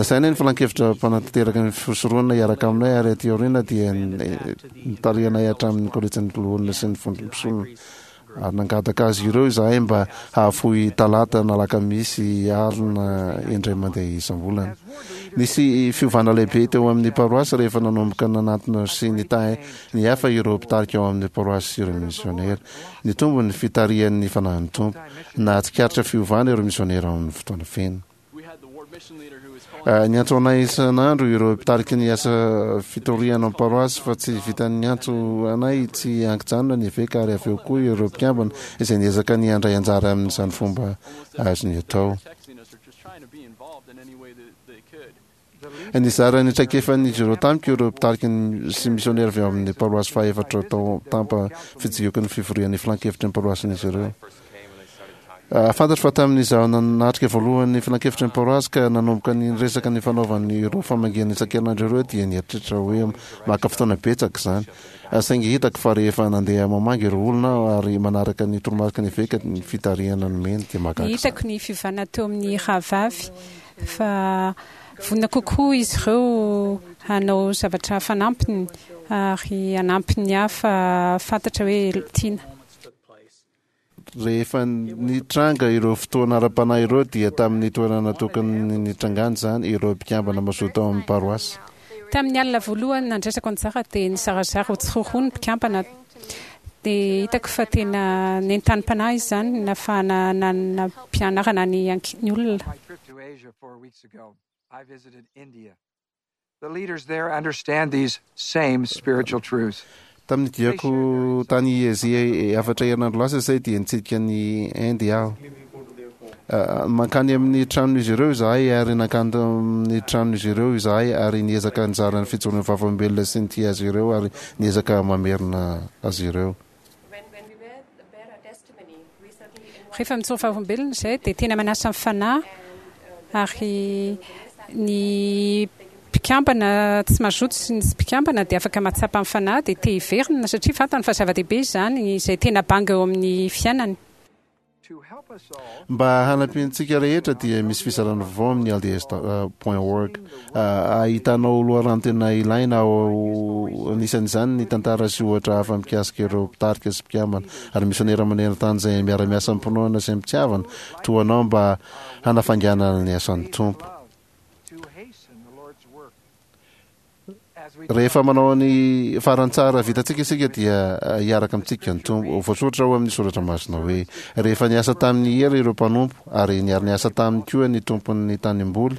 Nasainay ny filankevitra mpanatanteraka ny fisoronana hiaraka aminay ary aty aoriana dia notarihanay hatramin'ny kolejin'ny loholona sy ny vondrom-pisorona. Ary nangataka azy ireo izahay mba hahafoy talata na alakamisy alina indray mandeha isam-bolana. Nisy fiovana lehibe teo amin'ny paroasy rehefa nanomboka nanantona sy nitahy ny hafa ireo mpitarika ao amin'ny paroasy sy ireo misionera. Nitombo ny fitarihan'ny fanahin'ny Tompo. Nahatsikaritra fiovana ireo misionera ao amin'ny fotoana feno. Niantso anay isan'andro ireo mpitariky ny asa fitoriana ao paroasy fa tsy vitan'ny niantso anay tsy ankijanona ny eveka ary avy eo koa ireo mpikambana izay niezaka ny handray anjara amin'izany fomba azony atao. Nizara ny traikefan'izy ireo tamiko ireo mpitarika sy misionera avy ao amin'ny paroasy fahaefatra tao Tampa fijioky ny fivorian'ny filankevitry ny paroasin'izy ireo. Fantatro fa tamin'izaho nanatrika voalohany ny filankevitry ny paroasy ka nanomboka ny niresaka ny fanaovany ireo famangiana isan-kerinandro ireo dia nieritreritra hoe maka fotoana betsaka izany. Saingy hitako fa rehefa nandeha mamangy ireo olona aho ary manaraka ny toromariky ny eveka ny fitarihana nomeny dia mahagaga izany. Hitako ny fiovana teo amin'ny rahavavy fa vonona kokoa izy ireo hanao zavatra fanampiny ary hanampy ny hafa hahafantatra hoe tiana. Rehefa nitranga ireo fotoana ara-panahy ireo dia tamin'ny toerana tokony nitrangany izany ireo mpikambana mazoto ao amin'ny paroasy. Tamin'ny alina voalohany nandraisako anjara dia nizarazara ho tsiroaroa ny mpikambana. Dia hitako fa tena nentanim-panahy izany nahafahana nanam-pianarana ny olona. Tamin'ny diako tany Azia efatra herinandro lasa izay dia nitsidika an'i Inde aho. Mankany amin'ny tranon'izy ireo izahay ary nankany amin'ny tranon'izy ireo izahay ary niezaka nizara ny fijoroan'ny vavolombelona sy nitia azy ireo ary niezaka mamerina azy ireo. Rehefa mijoro vavolombelona izay dia tena manasa ny fanahy ary ny mpikambana tsy mazoto sy ny tsy mpikambana dia afaka mahatsapa ny fanahy dia te hiverina satria fantany fa zava-dehibe izany izay tena banga eo amin'ny fiainany. Mba hanampiantsika rehetra dia misy fizarana vaovao amin'ny lds point org ahitanao loharano tena ilaina ao anisan'izany ny tantara sy ohatra hafa mikasika ireo mpitarika sy mpikambana ary misionera maneran-tany izay miara-miasa amim-pinoana sy amim-pitiavana toa anao mba hanafainganana ny asan'ny Tompo. Rehefa manao ny farany tsara vitantsika isika dia hiaraka amintsika ny Tompo. Voasoratra ao amin'ny soratra masina hoe, Rehefa niasa tamin'ny hery ireo mpanompo, ary niara-niasa taminy koa ny tompon'ny tanimboly,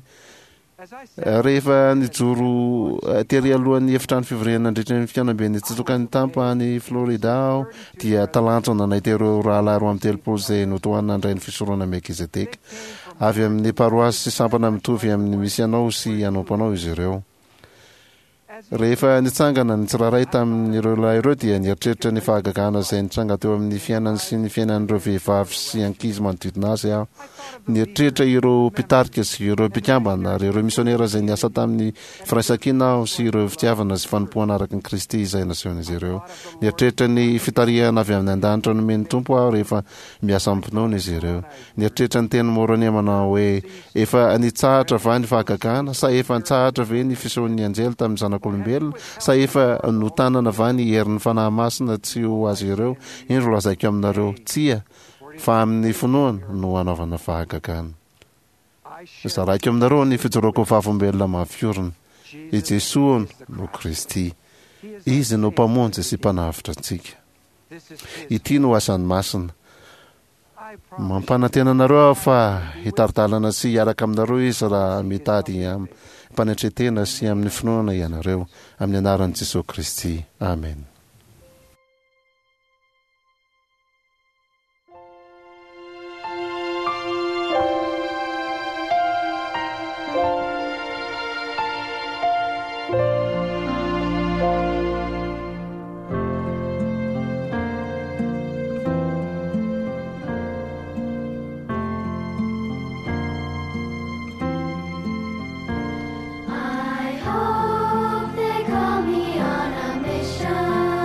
rehefa nijoro tery alohan'ny efitrano fivoriana nandritra ny fihaonamben'ny tsatòkan'ny Tampa any Florida aho, dia talanjona nahita ireo rahalahy 32 izay notohanina handray ny fisoronana Melkizedeka. Avy amin'ny paroasy sy sampana mitovy amin'ny misy anao sy anompo anao izy ireo. Rehefa nitsangana ny tsirairay tamin'ireo lahy ireo dia nieritreritra ny fahagagana izay nitranga teo amin'ny fiainany sy ny fiainan'ireo vehivavy sy ankizy manodidina azy aho. Nieritreritra ireo mpitarika sy ireo mpikambana ary ireo misionera izay niasa tamin'ny firaisankina aho sy ireo fitiavana sy fanompoana araka ny Kristy izay nasehon'izy ireo. Nieritreritra ny fitarihana avy amin'ny an-danitra nomen'ny Tompo aho rehefa miasa amim-pinoana izy ireo. Nieritreritra ny tenin'i Môrônia manao hoe, Efa nitsahatra va ny fahagagana? Sa efa nitsahatra ve ny fisehoan'ny anjely tamin'ny zanak'olombelona? Sa efa notanana va ny herin'ny Fanahy Masina tsy ho azy ireo? Indro lazaiko aminareo, Tsia, fa amin'ny finoana no hanaovana fahagagana. Zaraiko aminareo ny fijoroako vavolombelona mafy orina, I Jesoa no Kristy. Izy no Mpamonjy sy Mpanavotra antsika. Ity no asany masina. Mampanantena anareo aho fa hitari-dalana sy hiaraka aminareo Izy raha mitady amim-panetren-tena sy amin'ny finoana ianareo. Amin'ny anaran'i Jesoa Kristy. Amena. I hope they call me on a mission.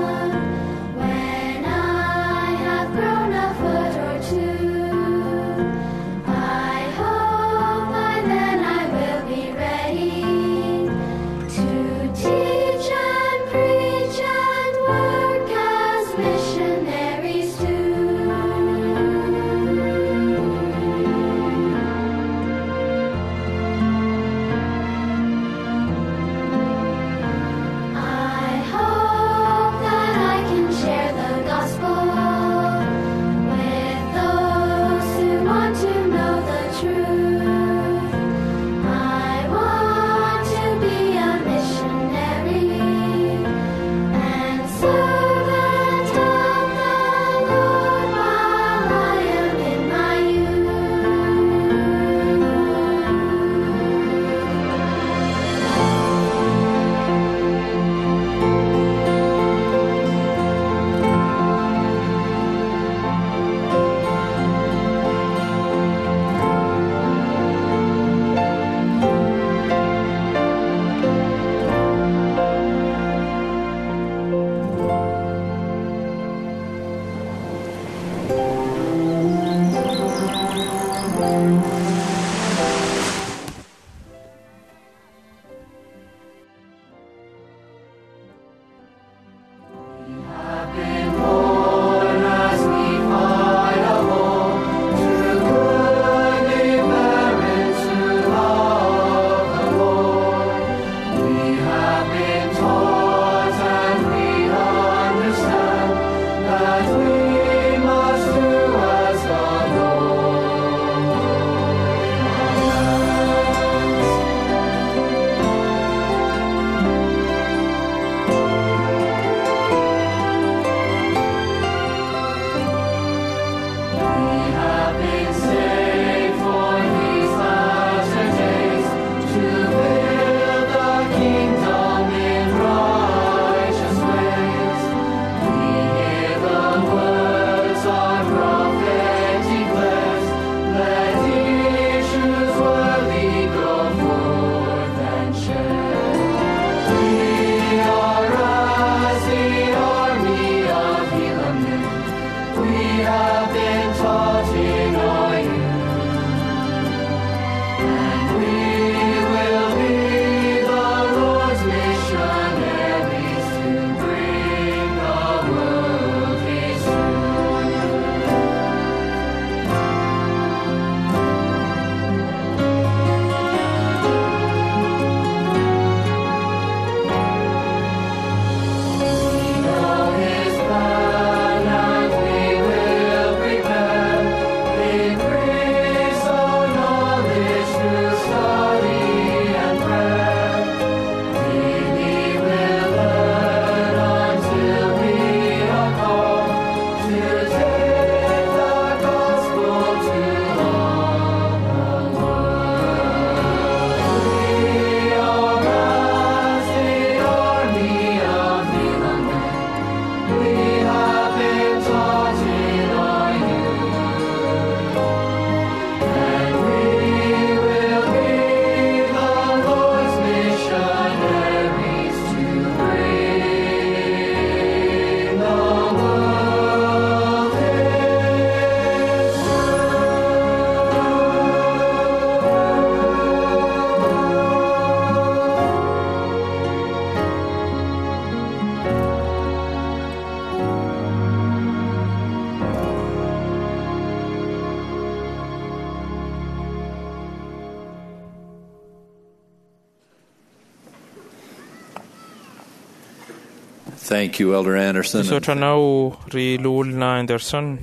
Thank you, Elder Anderson. Misaotra anao ry loholona Anderson.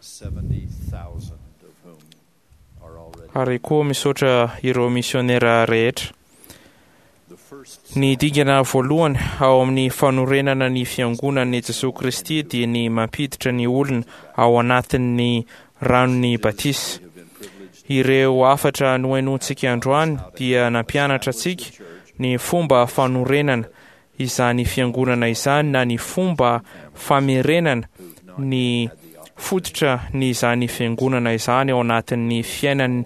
70,000 of whom are already. Ary koa misaotra ireo misionera rehetra. The first Ny dingana voalohany ao amin'ny fanorenana ny fiangonan'i Jesoa Kristy dia ny mampiditra ny olona ao anatin'ny ranon'ny batisa. have been privileged Ireo hafatra nohenointsika androany dia nampianatra antsika ny fomba fanorenana izany fiangonana izany na ny fomba famerenana ny fototra ny izany fiangonana izany ao anatin'ny fiainan'ny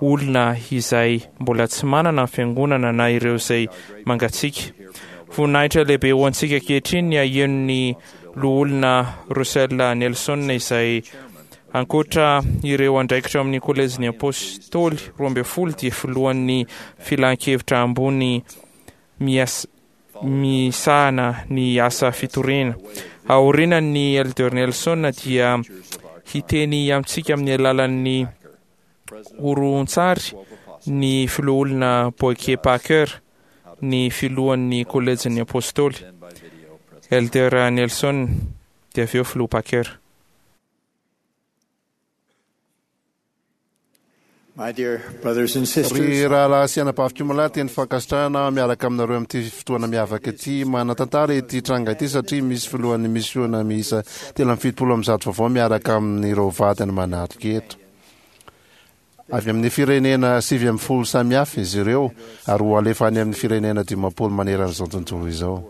olona izay mbola tsy manana ny fiangonana na ireo izay mangatsiaka. Voninahitra lehibe ho antsika ankehitriny ny haheno ny loholona Russell Nelson izay ankoatra ireo andraikitra ao amin'ny kolejin'ny apôstôly 12 dia filohan'ny filan-kevitra ambony mias- misahana ny asa fitoriana. Aorianan'ny Elder Nelson dia hiteny amintsika amin'ny alalan'ny horontsary ny filoholona Boyke Packer, ny filohan'ny kolejin'ny apôstôly. then by video presentation. Elder Nelson dia avy eo filoha Packer. My dear brothers and Ry sisters, rahalahy sy anabaviko malahy teny fankasitrahana miaraka aminareo amin'ity fotoana miavaka ity manan-tantara ity tranga ity satria misy filohan'ny misiona miisa 173 vaovao miaraka amin'ireo vadiny manatrika eto. Avy amin'ny firenena 19 samihafa izy ireo ary ho alefa any amin'ny firenena 50 maneran'izao tontolo izao.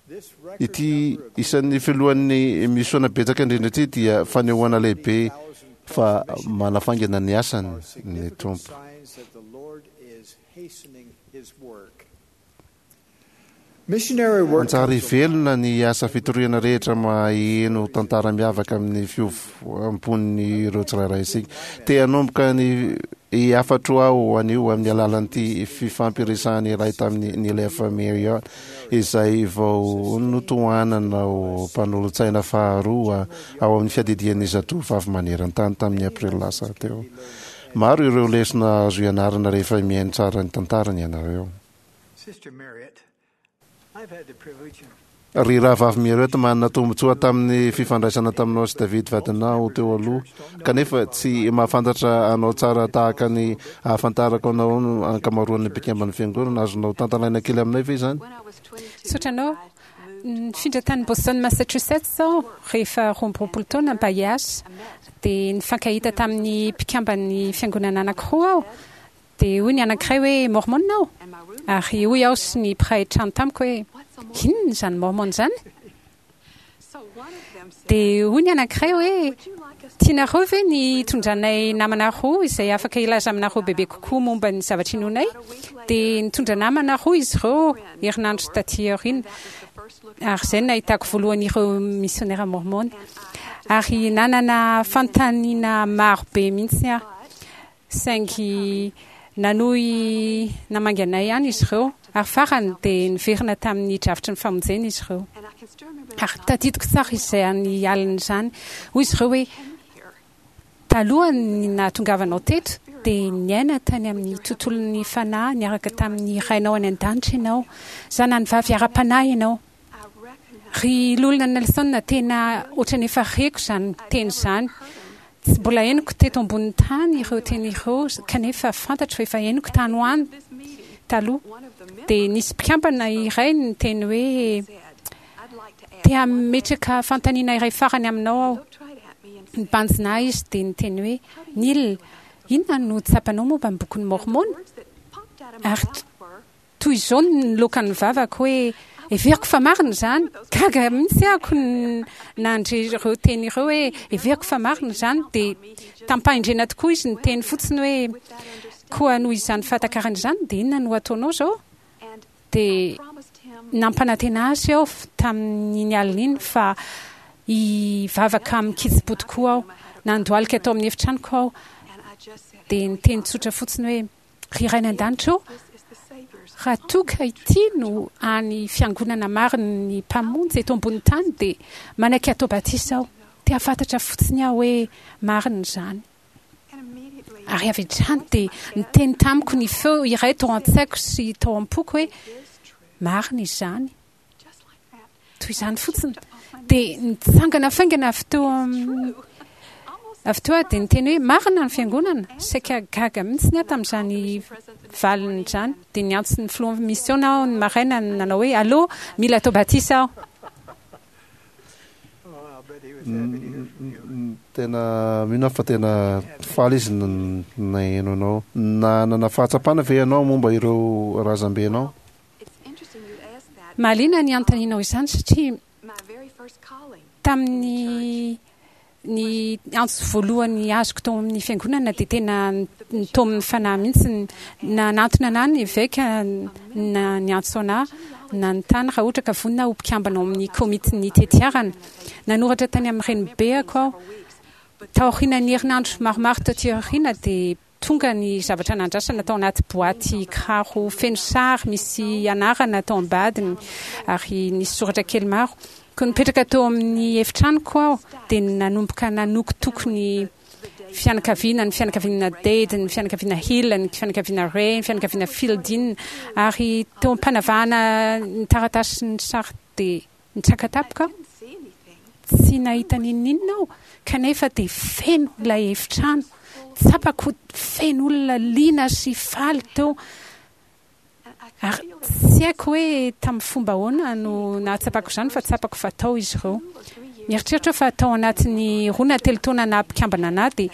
this record Ity isan'ny filohan'ny misiona betsaka indrindra ity dia fanehoana lehibe fa manafaingana ny asany are ny significant Tompo. signs that the Lord is hastening his work. Missionary work Manjary velona ny asa fitoriana rehetra maheno tantara miavaka amin'ny fiovam-pon'ireo tsirairay isika. Te hanomboka ny hafatro aho anio amin'ny alalan'ity fifampiresahana iray tamin'ny Neil F. Marriott izay vao notohanana ho mpanolotsaina faharoa ao amin'ny fiadidian'ny zatovavy maneran-tany tamin'ny aprily lasa teo. Maro ireo lesona azo ianarana rehefa mihaino tsara ny tantarany ianareo. Sister Marriott, I've had the privilege of Ry rahavavy Marriott manana tombontsoa tamin'ny fifandraisana taminao sy David vadinao teo aloha kanefa tsy mahafantatra anao tsara tahaka ny ahafantarako anao no ankamaroan'ny mpikamban'ny fiangonana. Azonao tantaraina kely aminay ve izany? Misaotra anao. Nifindra tany Boston, Massachusetts aho rehefa 22 taona mba hiasa. Dia nifankahita tamin'ny mpikamban'ny fiangonana anankiroa aho. Dia hoy ny anankiray hoe Mormon aho. Ary hoy aho sy ny mpiray trano tamiko hoe inona izany Mormon izany? Dia hoy ny anankiray hoe tianareo ve ny hitondranay namana roa izay afaka hilaza aminareo bebe kokoa momba ny zavatra inoanay? Dia nitondra namana roa izy ireo herinandro taty aoriana. Ary izay no nahitako voalohany ireo misionera mormon. Ary nanana fanontaniana maro be mihitsy aho. Saingy nanohy namangy anay ihany izy ireo. Ary farany dia niverina tamin'ny drafitry ny famonjena izy ireo. Ary tadidiko tsara izany alina izany. Hoy izy ireo hoe talohan'ny nahatongavanao teto dia niaina tany amin'ny tontolon'ny fanahy niaraka tamin'ny rainao any an-danitra ianao. Zanany vavy ara-panahy ianao. Ry Loholona Nelson, tena ohatran'ny efa reko izany teny izany. Tsy mbola henoko teto ambonin'ny tany ireo teny ireo kanefa fantatro fa efa henoko tany ho any taloha. Dia nisy mpikambana iray niteny hoe te hametraka fanontaniana iray farany aminao aho. Nibanjina ahy izy dia niteny hoe Neil, inona no tsapanao momba ny bokin'i Mormon? Ary toy izao no niloakan'ny vavako hoe heveriko fa marina izany. Gaga mihitsy aho nandre ireo teny ireo hoe heveriko fa marina izany. Dia tampahendrena tokoa izy niteny fotsiny hoe koa noho izany fahatakarana izany dia inona no ataonao izao? Dia nampanantena azy aho tamin'iny alina iny fa hivavaka amin-kitsim-po tokoa aho. Nandohalika tao amin'ny efitranoko aho dia niteny tsotra fotsiny hoe ry Ray any an-danitra ô, raha toa ka ity no hany fiangonana marin'ny Mpamonjy eto ambonin'ny tany dia manaiky hatao batisa aho. Te hahafantatra fotsiny aho hoe marina izany. Ary avy hatrany dia niteny tamiko ny feo iray tao an-tsaiko sy tao am-poko hoe marina izany. Toy izany fotsiny. Dia nitsangana faingana avy teo amin'ny avy teo aho dia niteny hoe marina ny fiangonana. Saika gaga mihitsy aho tamin'izany valiny izany. Dia niantso ny filohan'ny misiona aho ny maraina nanao hoe allo, mila atao batisa aho. Tena mino aho fa tena faly izy naheno anao. Nanana fahatsapana ve ianao momba ireo razambenao? Mahaliana ny anontanianao izany satria tamin'ny ny antso voalohany azoko tao amin'ny fiangonana dia tena nitaomin'ny fanahy mihitsy. Nanantona anà ny eveka na niantso anà nanontany raha ohatra ka vonona aho ho mpikambana ao amin'ny komitin'ny tetiarana. Nanoratra tany amin'ny renibeako aho. Taorian'ny herinandro maromaro taty aoriana dia Tonga ny zavatra nandrasana tao anaty boaty kiraro feno sary misy anarana tao ambadiny ary nisy soratra kely maro. Koa nipetraka teo amin'ny efitranoko aho dia nanomboka nanokotoko ny fianakaviana, ny fianakaviana Dade, ny fianakaviana Hill, ny fianakaviana Ray, ny fianakaviana Fielding ary teo am-panavahana ny taratasy sy ny sary dia Nitsaka tampoka aho. Tsy nahita n'inon'inona aho, kanefa dia feno ilay efitrano. Tsapako feno olona liana sy faly teo. Ary tsy haiko hoe tamin'ny fomba ahoana no nahatsapako izany, fa tsapako fa tao izy ireo. Mieritreritra aho fa tao anatin'ny roa na telo taona naha mpikambana anà dia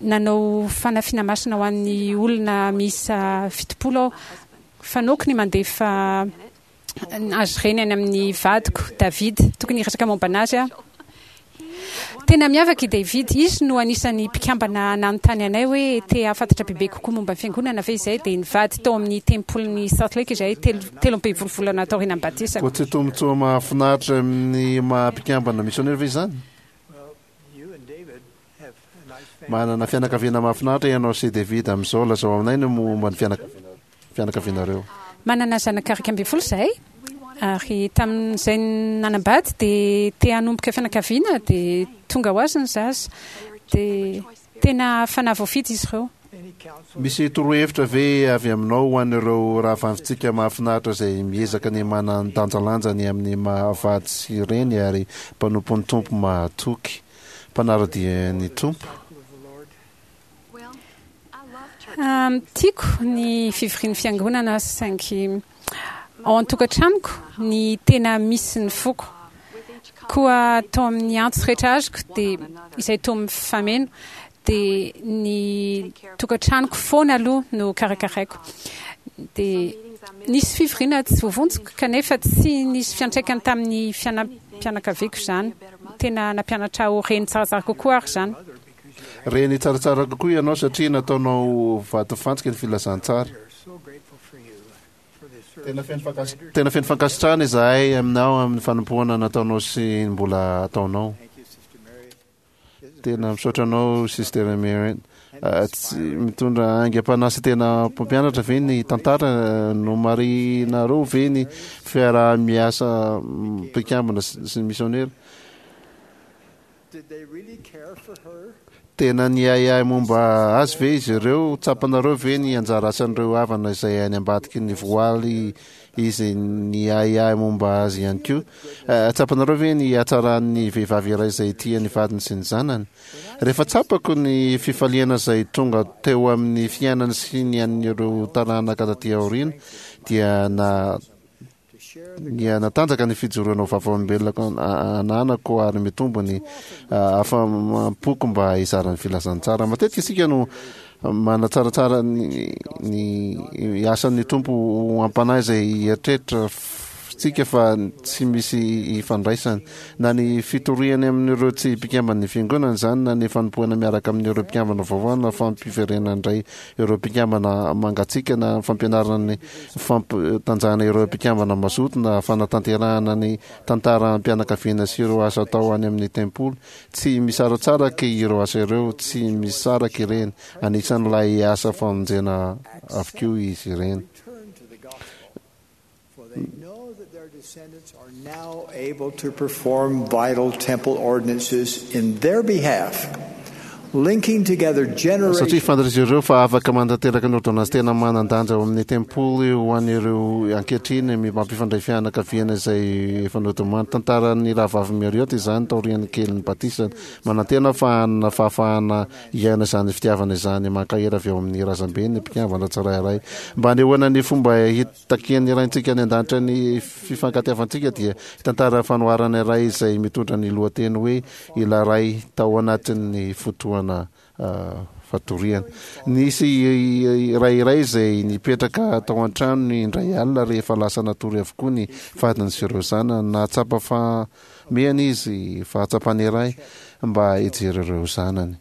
nanao fanafiana masina ho an'ny olona miisa 70 aho. Fanaoko ny mandefa azy ireny any amin'ny vadiko, David. Tokony hiresaka momba an'azy aho. Tena miavaka i David. Izy no anisan'ny mpikambana nanontany anay hoe te hahafantatra bebe kokoa momba ny fiangonana ve izahay, dia nivady tao amin'ny tempolin'i Salt Lake izahay, 13 volana taorian'ny batisako. Koa tsy tombontsoa mahafinaritra amin'ny maha mpikambana misionera ve izany? Manana fianakaviana mahafinaritra ianao sy David amin'izao. Lazao aminay ny momba ny fianakavianareo. Manana zanaka 11 izahay, ary tamin'izay nanambady dia te hanomboka fianakaviana dia tonga ho azy ny zaza. Dia tena fanahy voafidy izy ireo. Misy torohevitra ve avy aminao ho an'ireo rahavavintsika mahafinaritra izay miezaka ny manandanjalanja ny amin'ny maha vady sy reny ary mpanompon'ny Tompo mahatoky, mpanara-dia ny Tompo? Tiako ny fivorian'ny fiangonana saingy ao an-tokantranoko ny tena misy ny foko. Koa tao amin'ny antso rehetra azoko dia izay toa mifameno dia ny tokantranoko foana aloha no karakaraiko. Dia nisy fivoriana tsy voavonjiko kanefa tsy nisy fiantraikany tamin'ny fiainam-pianakaviako izany. Tena nampianatra ahy ho reny tsaratsara kokoa ary izany. Reny tsaratsara kokoa ianao satria nataonao vatofantsika ny filazantsara. Tena feno fankasitrahana izahay aminao amin'ny fanompoana nataonao sy ny mbola ataonao. Tena misaotra anao Sister Mary. Tsy mitondra aingam-panahy sy tena mpampianatra ve ny tantara? Nomarihinareo ve ny fiaraha-miasa mpikambana sy ny misionera? Tena niahiahy momba azy ve izy ireo? Tsapanareo ve ny anjara asan'ireo havana izay any ambadiky ny voaly izy niahiahy momba azy ihany koa? Tsapanareo ve ny hatsaran'ny vehivavy iray izay tia ny vadiny sy ny zanany? Rehefa tsapako ny fifaliana izay tonga teo amin'ny fiainany sy ny an'ireo taranaka taty aoriana dia na Niha-natanjaka ny fijoroana ho vavolombelona ananako ary mitombo ny afa-poko mba hizara ny filazantsara. Matetika isika no manatsaratsara ny asan'ny Tompo ho am-panahy izay hieritreritra tsika fa tsy misy ifandraisany. Na ny fitoriany amin'ireo tsy mpikamban'ny fiangonana izany, na ny fanompoana miaraka amin'ireo mpikambana vaovao, na fampiverenana indray ireo mpikambana mangatsiaka na fampianarana ny fampitanjahana ireo mpikambana mazoto na fanatanterahana ny tantaram-pianakaviana sy ireo asa atao any amin'ny tempoly. Tsy misaratsaraka ireo asa ireo, tsy misaraka ireny. Anisan'ilay asa famonjena avokoa izy ireny. For they know that their descendants are now able to perform vital temple ordinances in their behalf. Linking together Satria generations fantatr'izy ireo fa afaka manatanteraka ny ôrdônansy tena manan-danja ao amin'ny tempoly ho an'ireo ankehitriny mampifandray fianakaviana izay efa nodimandry. Tantaran'ny rahavavy Marriott izany taorian'ny kelin'ny batisany. Manantena fa hanana fahafahana hiaina izany fitiavana izany mankahery avy ao amin'ny razambeny ny mpikambana tsirairay. Mba hanehoana ny fomba hitakian'ny Raintsika any An-danitra ny fifankatiavantsika dia hitantara fanoharana iray izay mitondra ny lohateny hoe Ilay Ray tao anatin'ny fotoana fatoriana. Nisy ray iray izay nipetraka tao an-tranony indray alina rehefa lasa natory avokoa ny vadiny sy ireo zanany. Nahatsapa fahamehana izy, fahatsapana iray mba hijery ireo zanany.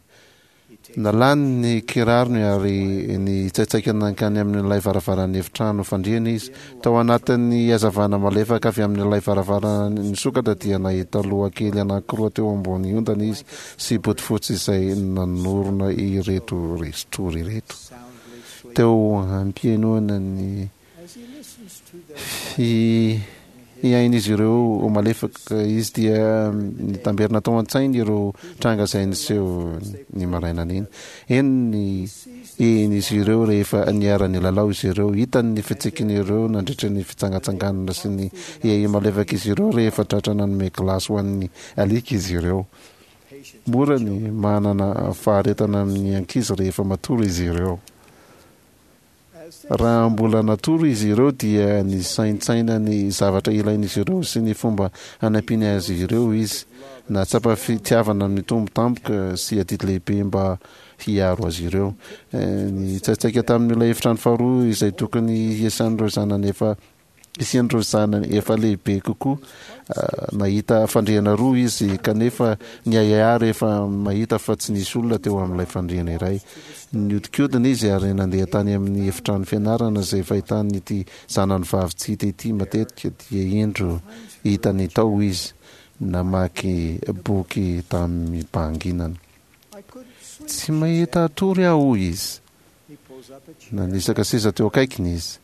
Nalany ny kirarony ary nitsaitsaika nankany amin'ilay varavaran'ny efitrano fandriana izy. Tao anatin'ny hazavana malefaka avy amin'ilay varavarana nisokatra dia nahita loha kely anankiroa teo ambony ondana izy sy bodofotsy izay nanorina ireto resin-tory ireto. Teo am-pihainoana ny Fihain'izy ireo ho malefaka izy dia nitamberina tao an-tsainy ireo tranga izay niseho ny marainan'iny. Henony izy ireo rehefa niara-nilalao izy ireo. Hitany ny fitsikin'ireo nandritra ny fitsangatsanganana sy ny hehy malefak'izy ireo rehefa tratra nanome gilasy ho an'ny alika izy ireo. Mora ny manana faharetana amin'ny ankizy rehefa matory izy ireo. Raha mbola natory izy ireo dia nisaintsaina ny zavatra ilain'izy ireo sy ny fomba hanampiany azy ireo izy. Nahatsapa fitiavana mitombo tampoka sy adidy lehibe mba hiaro azy ireo. Nitsaitsaika tamin'ilay efitrano faharoa izay tokony hiasan'ireo zanany efa Hisian'ireo zanany efa lehibe kokoa. Nahita fandriana roa izy, kanefa niahiahy rehefa mahita fa tsy nisy olona teo amin'ilay fandriana iray. Nihodinkodina izy ary nandeha tany amin'ny efitrano fianarana izay fahitany ity zanany vavy tsy hita ity matetika, dia indro hitany tao izy, namaky boky tamim-pahanginana. Tsy mahita hatory aho, hoy izy. Nanisaka seza teo akaikiny izy.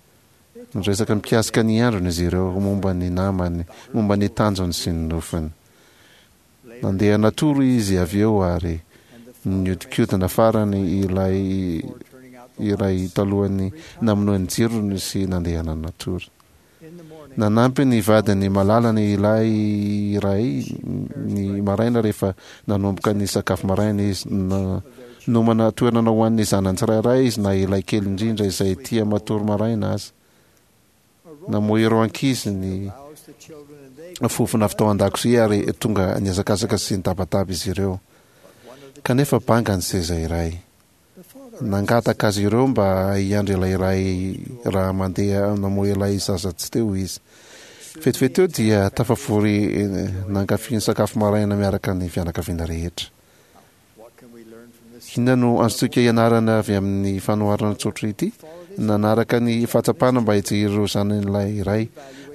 Niresaka mikasika ny androny izy ireo, momba ny namany, momba ny tanjony sy ny nofiny. Nandeha natory izy avy eo ary nihodinkodina farany ilay iray talohan'ny namonoany jirony sy nandehanany natory. Nanampy ny vadiny malalany ilay iray ny maraina rehefa nanomboka ny sakafo maraina izy. Nomana toerana ho an'ny zanany tsirairay izy na ilay kely indrindra izay tia matory maraina aza. Namoha ireo ankizy ny fofona avy tao an-dakozia ary tonga nihazakazaka sy nitabataba izy ireo. Kanefa banga ny seza iray. Nangataka azy ireo mba hiandry ilay ray raha mandeha namoha ilay zaza tsy teo izy. Vetivety teo dia tafavory nankafy ny sakafo maraina miaraka ny fianakaviana rehetra. Inona no azontsika ianarana avy amin'ny fanoharana tsotra ity? Nanaraka ny fahatsapana mba hijery ireo zanany ilay ray.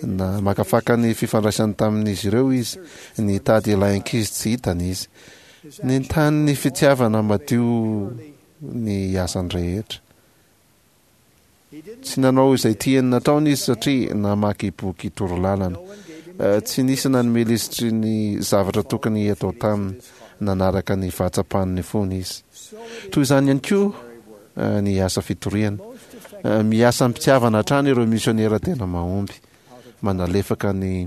Namakafaka ny fifandraisany tamin'izy ireo izy. Nitady ilay ankizy tsy hitany izy. Nentanin'ny fitiavana madio ny asany rehetra. Tsy nanao izay tiany nataony izy satria namaky boky torolalana. Tsy nisy nanome lisitry ny zavatra tokony hatao taminy. Nanaraka ny fahatsapan'ny fony izy. Toy izany ihany koa ny asa fitoriana. Miasa am-pitiavana hatrany ireo misionera tena mahomby. Manalefaka ny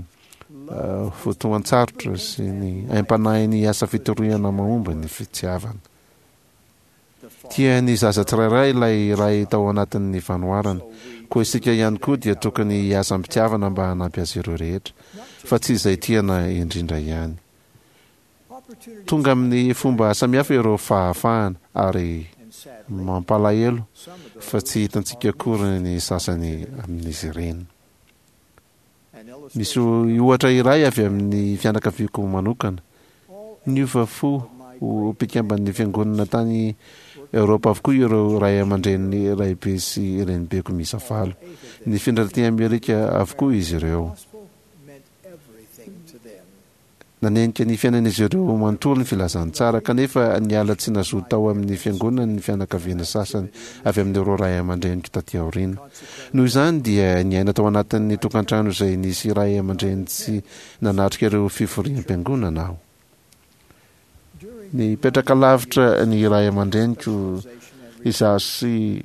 fotoan-tsarotra sy ny aim-panahin'ny asa fitoriana mahomby ny fitiavana. Tia ny zaza tsirairay ilay Ray tao anatin'ny fanoharana. Koa isika ihany koa dia tokony hiasa am-pitiavana mba hanampy azy ireo rehetra, fa tsy izay tiana indrindra ihany. Tonga amin'ny fomba samihafa ireo fahafahana, ary mampalahelo fa tsy hitantsika akory ny sasany amin'izy ireny. Misy ohatra iray avy amin'ny fianakaviako manokana. Niova fo ho mpikamban'ny fiangonana tany Eoropa avokoa ireo ray aman-drenin'ny raibe sy renibeko miisa valo. Nifindra taty Amerika avokoa izy ireo. Nanenika ny fiainan'izy ireo manontolo ny filazantsara, kanefa niala tsy nazoto tao amin'ny fiangonany ny fianakaviana sasany avy amin'ireo ray aman-dreniko taty aoriana. Noho izany dia niaina tao anatin'ny tokantrano izay nisy ray aman-dreny tsy nanatrika ireo fivoriam-piangonana aho. Nipetraka lavitra ny ray aman-dreniko izaho sy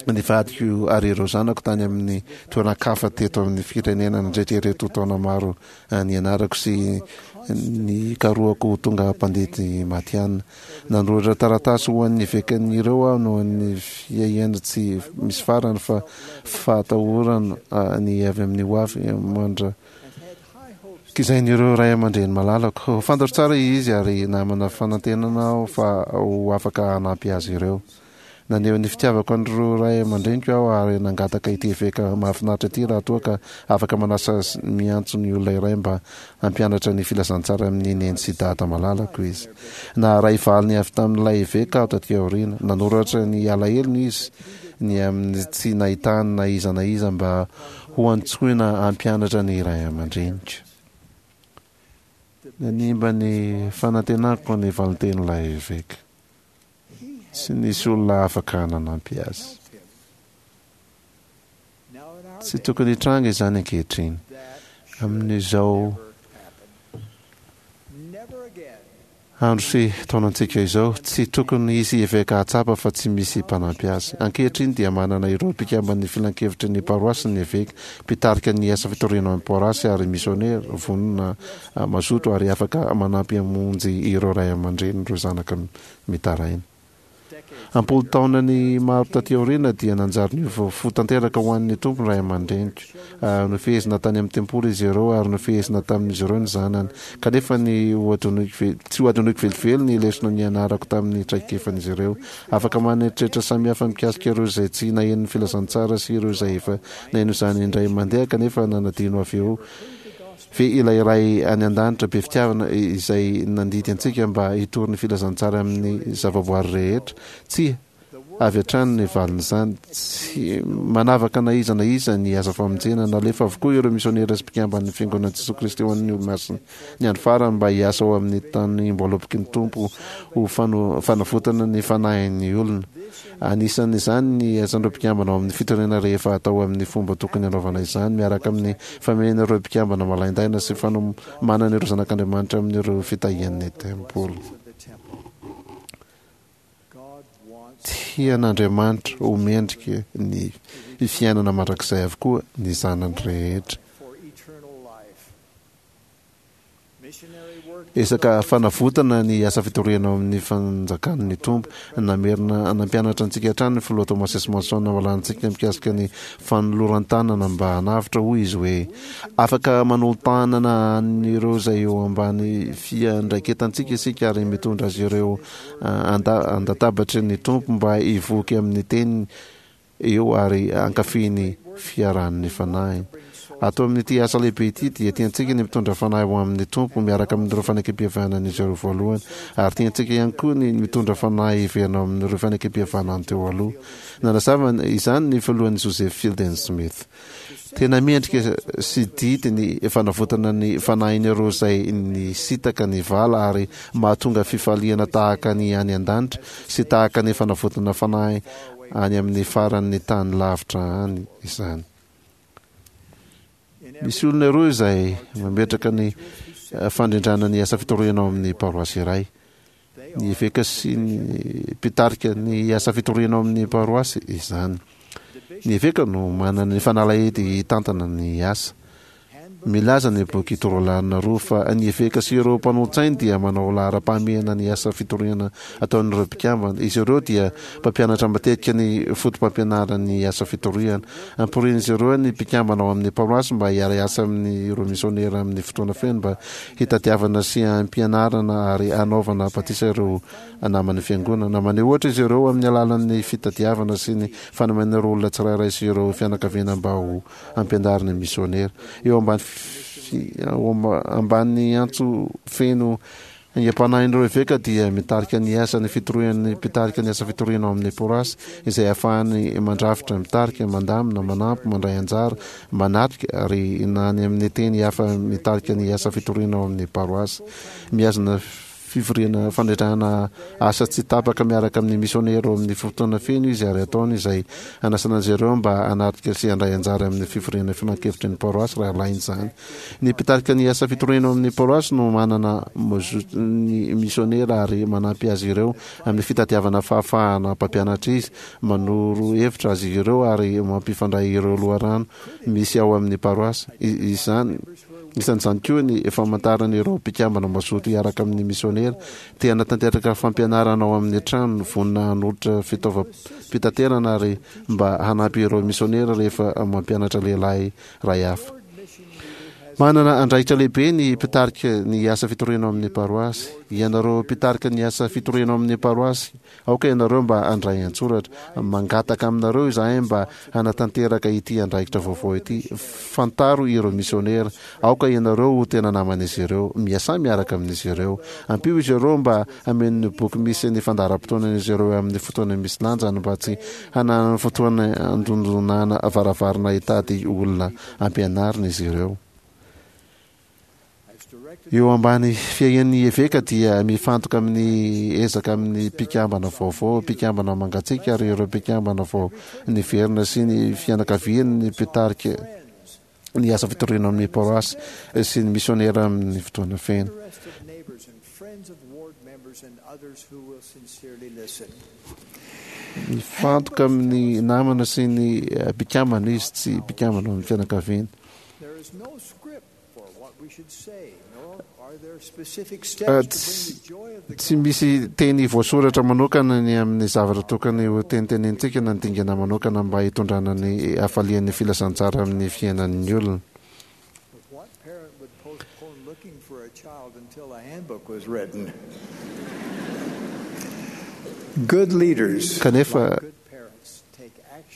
ny vadiko ary ireo zanako tany amin'ny toeran-kafa teto amin'ny firenena nandritra ireto taona maro nianarako sy nikarohako ho tonga mpandidy matihanina. Nanoratra taratasy ho an'ny evekan'ireo aho noho ny fiahiana tsy misy farany fa fahatahorana ny avy amin'ny hoavy mandra Kizain'ireo ray aman-dreny malalako. Fantatro tsara izy ary namana fanantenana aho fa ho afaka hanampy azy ireo. Naneho ny fitiavako an'ireo ray aman-dreniko aho ary nangataka ity eveka mahafinaritra ity raha toa ka afaka manasa sy miantso ny olona iray mba hampianatra ny filazantsara amin'i Neny sy Dada malalako izy. Naharay valiny avy tamin'ilay eveka aho taty aoriana. Nanoratra ny alahelony izy ny amin'ny tsy nahitany na iza na iza mba ho antsoina hampianatra ny ray aman-dreniko. Nanimba ny fanantenako ny valintenin'ilay eveka. Tsy nisy olona afaka nanampy azy. Tsy tokony hitranga izany ankehitriny. Amin'izao andro sy taonantsika izao, tsy tokony hisy eveka hahatsapa fa tsy misy mpanampy azy. Ankehitriny dia manana ireo mpikamban'ny filankevitry ny paroasy ny eveka, mpitarika ny asa fitoriana ao amin'ny paroasy ary misionera vonona mazoto ary afaka manampy hamonjy ireo ray aman-drenin'ireo zanaka mitaraina. Am-polo taonany maro taty aoriana dia nanjary niova fo tanteraka ho an'ny Tompo ny ray aman-dreniko. Nofehezina tany amin'ny tempoly izy ireo ary nofehezina tamin'izy ireo ny zanany. Kanefa ny ho adinoiko tsy ho adinoiko velively ny lesona nianarako tamin'ny traikefan'izy ireo. Afaka manana eritreritra samihafa mikasika ireo izay tsy naheno ny filazantsara sy ireo izay efa naheno izany indray mandeha kanefa nanadino avy eo Ve ilay Ray any An-danitra be fitiavana izay nandidy antsika mba hitory ny filazantsara amin'ny zavaboary rehetra? Tsia, avy hatrany ny valin'izany. Tsy manavaka na iza na iza ny asa famonjena. Nalefa avokoa ireo misionera sy mpikamban'ny Fiangonan'i Jesoa Kristy ho an'ny Olomasina ny andro farany mba hiasa ao amin'ny tanim-boaloboky ny Tompo ho fanavotana ny fanahin'ny olona. Anisan'izany ny asan'ireo mpikambana ao amin'ny fitoriana rehefa atao amin'ny fomba tokony hanaovana izany, miaraka amin'ny famehena ireo mpikambana malaindaina sy fanomanana ireo zanak'Andriamanitra amin'ireo fitahian'ny tempoly. Tian'Andriamanitra ho mendrika ny fiainana mandrakizay avokoa ny zanany rehetra. Ezaka fanavotana ny asa fitoriana ao amin'ny fanjakan'ny Tompo. Namerina nampianatra antsika hatrany ny Filoha Thomas S. Monson namalanintsika mikasika ny fanoloran-tanana mba hanavotra, hoy izy hoe, Afaka manolo-tanana an'ireo izay eo ambany fiandraiketantsika isika ary mitondra azy ireo an-databatry ny Tompo mba hivoky amin'ny teniny eo ary hankafy ny fiarahan'ny Fanahiny. Ato amin'ity asa lehibe ity dia tiantsika ny mitondra fanahy ho amin'ny Tompo miaraka amin'ireo fanekempihavanan'izy ireo voalohany, ary tiantsika ihany koa ny mitondra fanahy hiverina ao amin'ireo fanekempihavanany teo aloha. Nanazava izany ny filohan'ny Joseph Fielding Smith. Tena mendrika sy didy ny fanavotana ny fanahin'ireo izay nisintaka ny vala ary mahatonga fifaliana tahaka ny any an-danitra sy tahaka ny fanavotana fanahy any amin'ny faran'ny tany lavitra any izany. Misy olona roa izay mametraka ny fandrindrana ny asa fitoriana ao amin'ny paroasy iray. Ny eveka sy ny mpitarika ny asa fitoriana ao amin'ny paroasy izany. Ny eveka no manana ny fanalahidy hitantana ny asa. Milaza ny boky Torolalana 2 fa ny eveka sy ireo mpanolotsainy dia manao laharam-pahamehana ny asa fitoriana ataon'ireo mpikambana. Izy ireo dia mpampianatra matetika ny fotopampianaran'ny asa fitoriana. Amporian'izy ireo ny mpikambana ao amin'ny paroasy mba hiara-hiasa amin'ireo misionera amin'ny fotoana feno mba hitadiavana sy hampianarana ary hanaovana batisa ireo naman'ny Fiangonana. Maneho ohatra izy ireo amin'ny alalan'ny fitadiavana sy ny fanomena ireo olona tsirairay sy ireo fianakaviana mba ho ampianarina misionera. Eo ambany eo ambany antso feno aingam-panahin'ireo eveka dia mitarika ny asan'ny fitorian'ny mpitarika ny asa fitoriana ao amin'ny porasy izay ahafahany mandrafitra, mitarika, mandamina, manampy, mandray anjara, manatrika ary na any amin'ny teny hafa mitarika ny asa fitoriana ao amin'ny paroasy. Mihazona. fivoriana fandratrahana asa tsy tapaka miaraka amin'ny misionera ao amin'ny fotoana feno izy ary ataony izay hanasana azy ireo mba hanatrika sy handray anjara amin'ny fivoriana filankevitry ny paroasy raha ilaina izany. Ny mpitarika ny asa fitoriana ao amin'ny paroasy no manana ny misionera ary manampy azy ireo amin'ny fitadiavana fahafahana mpampianatra izy, manoro hevitra azy ireo ary mampifandray ireo loharano misy ao amin'ny paroasy. Izany, isan'izany koa ny famantarana ireo mpikambana mazoto hiaraka amin'ny misionera, te hanatanteraka fampianarana ao amin'ny trano, vonona hanolotra fitaovam-pitaterana ary mba hanampy ireo misionera rehefa mampianatra lehilahy iray hafa. Manana andraikitra lehibe ny mpitarika ny asa fitoriana ao amin'ny paroasy. Ianareo mpitarika ny asa fitoriana ao amin'ny paroasy, aoka ianareo mba handray an-tsoratra. Mangataka aminareo izahay mba hanatanteraka ity andraikitra vaovao ity. Fantaro ireo misionera. Aoka ianareo ho tena naman'izy ireo. Miasà miaraka amin'izy ireo. Ampio izy ireo mba hameno ny boky misy ny fandaharam-potoanan'izy ireo amin'ny fotoana misy lanjany mba tsy hananany fotoana handondonana varavarana hitady olona ampianarina izy ireo. Eo ambany fiahian'ny eveka dia mifantoka amin'ny ezaka amin'ny mpikambana vaovao, mpikambana mangatsiaka ary ireo mpikambana vao niverina sy ny fianakaviany ny mpitarika ny asa fitoriana amin'ny paroasy sy ny misionera amin'ny fotoana feno. Mifantoka amin'ny namana sy ny mpikambana izy, tsy mpikambana ao amin'ny fianakaviana. Tsy misy teny voasoratra manokana ny amin'ny zavatra tokony ho tenitenenintsika na ny dingana manokana mba hitondrana ny hafalian'ny filazantsara amin'ny fiainan'ny olona. Kanefa,